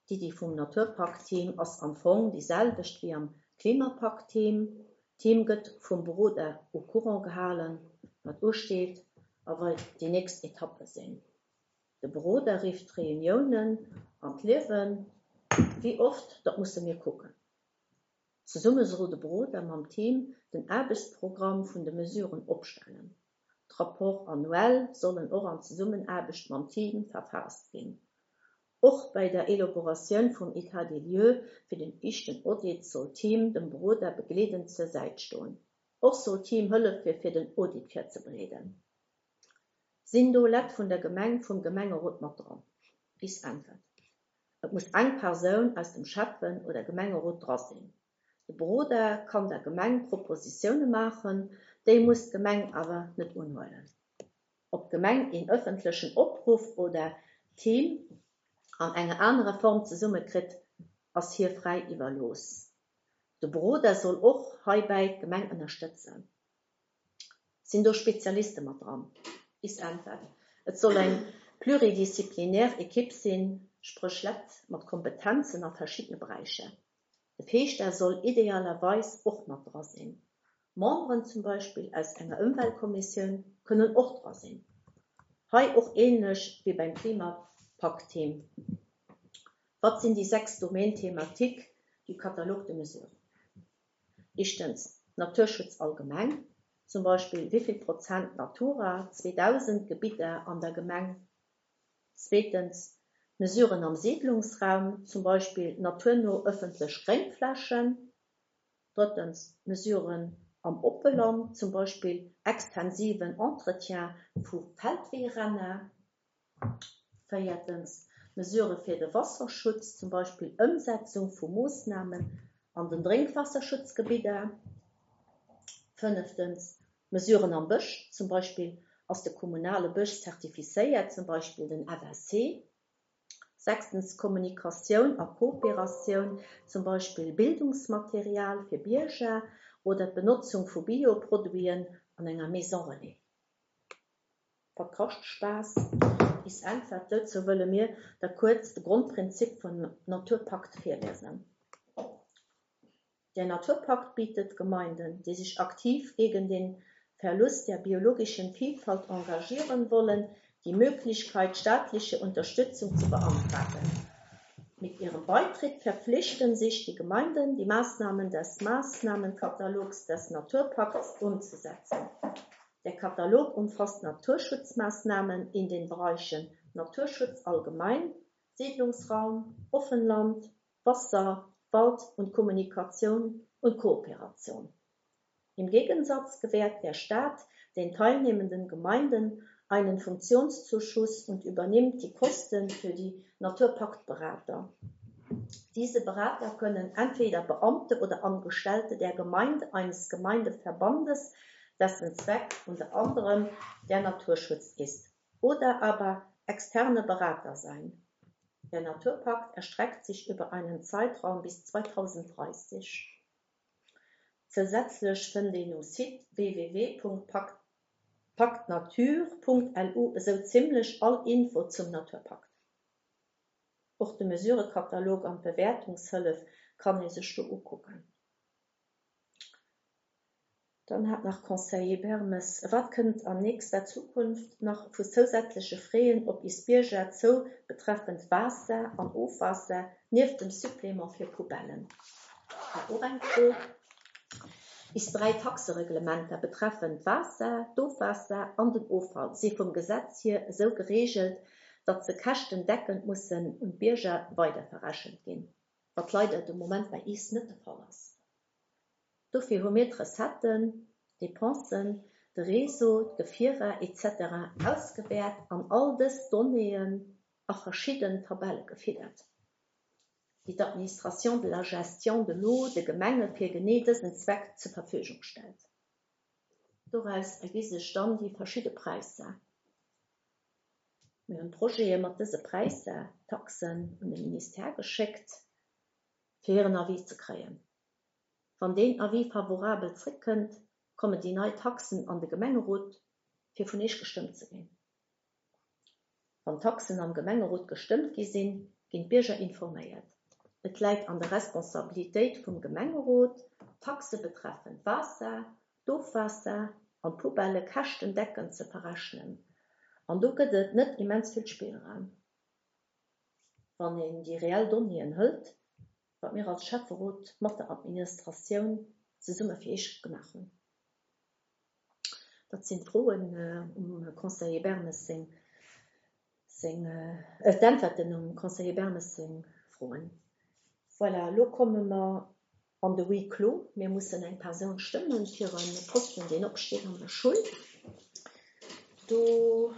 D'Iddi vum Naturpakt-Team ass am Fong déi selwecht wéi am Klimapakt-Team. D'Team gëtt vum Beroder au courant gehalen, wat usteet a wei déi nächst Etappe sinn. De Beroder rifft Reuniounen an d'Liewen. Wéi oft, dat musse mir kucken. Zesumme soll de Beroder mam Team den Aarbechtsprogramm vun de Mesuren opstellen. D'Rapports annuels sollen och an Zesummenaarbecht mam Team verfaasst ginn. Och bei der Elaboratioun vum État des lieux fir den ischten Audit soll d'Team dem Beroder begleedend zur Säit stoen. Och soll d'Team hëllefe fir den Audit virzebereeden. Sinn do Lett vun der Gemeng, vum Gemengerot mat dran? Is Äntwert, Et muss eng Persoun aus dem Schäffen oder Gemengerot dra sinn. De Beroder kann der Gemeng Propositioune maachen, déi muss d'Gemeng awer net unhuelen. Ob d'Gemeng een ëffentlechen Opruff oder d'Team an enger anerer Form zesummekritt, ass hir fräi iwwerlooss. De Beroder soll och heibäi d'Gemeng ënnerstëtzen. Sinn do Spezialiste mat dran? Is Äntwert, Et soll eng pluridisziplinär Ekipp sinn, spréch Leit mat Kompetenzen a verschiddene Beräicher. De Feeschter soll idealerweis och mat dra sinn. Memberen zum Beispill aus enger Ëmweltkommissioun kënnen och dra sinn. Hei och änlech wéi beim Klimapakt-Team. Wat sinn déi sechs Domaines thématiques du catalogue de mesures? Éischtens, Naturschutz allgemeng, zum Beispill wéi vill Prozent Natura zweedausend Gebidder an der Gemeng. Zweetens, Mesuren am Siedlungsraum, zum Beispill naturno ëffentlech Gréngflächen. Drëttens, Mesuren am Oppeland, zum Beispill extensiven Entretien vu Feldweeränner. Véiertens, Mesurë fir de Wasserschutz, zum Beispill Ëmsetzung vu Moossnamen an den Drénkwaasserschutzgebidder. Fënneftens, Mesuren am Bësch, zum Beispill ass de kommunale Bësch zertifizéiert, zum Beispill den F S C. Sechstens, Kommunikatioun a Kooperatioun, zum Beispill Bildungsmaterial fir Bierger oder d'Benotzung vu Bioproduiten an enger Maison Relais. Wat kascht Spaass? Is Äntwert dozou wëlle mir da kuerz de Grondprinzip vum Naturpakt virlesen. Der Naturpakt bietet Gemeinden, die sich aktiv gegen den Verlust der biologischen Vielfalt engagieren wollen, die Möglichkeit, staatliche Unterstützung zu beantragen. Mit ihrem Beitritt verpflichten sich die Gemeinden, die Maßnahmen des Maßnahmenkatalogs des Naturpakts umzusetzen. Der Katalog umfasst Naturschutzmaßnahmen in den Bereichen Naturschutz allgemein, Siedlungsraum, Offenland, Wasser, Wald und Kommunikation und Kooperation. Im Gegensatz gewährt der Staat den teilnehmenden Gemeinden einen Funktionszuschuss und übernimmt die Kosten für die Naturpaktberater. Diese Berater können entweder Beamte oder Angestellte der Gemeinde eines Gemeindeverbandes, dessen Zweck unter anderem der Naturschutz ist, oder aber externe Berater sein. Der Naturpakt erstreckt sich über einen Zeitraum bis zweitausenddreißig. Zusätzlich fënnt een um Site w w w punkt paktnatur punkt l u esou zimmlech all Info zum Naturpakt. Och de Mesurekatalog an d'Bewertungshëllef kann ee sech do ukucken. Dann hat nach Conseiller Bermes, wat kënnt an nächster Zukunft nach vu zousätzleche Fräen op is Bierger zou betreffend Waasser an Ofwaasser nieft dem Supplement fir Poubellen? War och eng Fro. Is dräi Taxereglementer betreffend Waasser, d'Ofwaasser an den Offall si vum Gesetz hier esou geregelt, datt se käschtendeckend mussen un d'Bierger weiderverrechent ginn, wat leider de Moment bei is net de Fall ass. Dofir hu mir d'Recetten, d'Depensen, de Réseau, d'Gefierer et cetera ausgewäert an all dës Donnéeën a verschidden Tabelle gefiddert, déi d'Administration de la gestion de l'eau de Gemenge fir genee dësen Zweck zur Verfügung stellt. Doraus ergi sech dann déi verschidde Präisser. Mir hunn Projete mat dëse Präisser, Taxen un de Ministère geschéckt, fir hiren Avis ze kréien. Wann deen Avis favorabel zréckkënnt, kommen déi nei Taxen an de Gemengerot, fir vun Iech gestëmmt ze ginn. Wann Taxen am Gemengerot gestëmmt gi sinn, ginn d'Bierger informéiert. Et läit an der Responsabilitéit vum Gemengerot, Taxe betreffend Waasser, d'Ofwaasser an d'Poubelle käschtendeckend ze verrechnen. An do gëtt et net immens vill Spillraum. Wann een déi reell Donnéeën hëlt, wat mir als Schäfferot mat der Administratioun zesumme fir Iech gemaach hunn. Dat sinn d'Froen, äh, um Conseiller Bermes seng, seng, äh, d'Äntwerten um Conseiller Bermes seng Froen. Voilà, lo komme mer an de Huis clos. Mir mussen eng Persoun stëmmen fir e Posten, deen opsteet an der Schoul. Do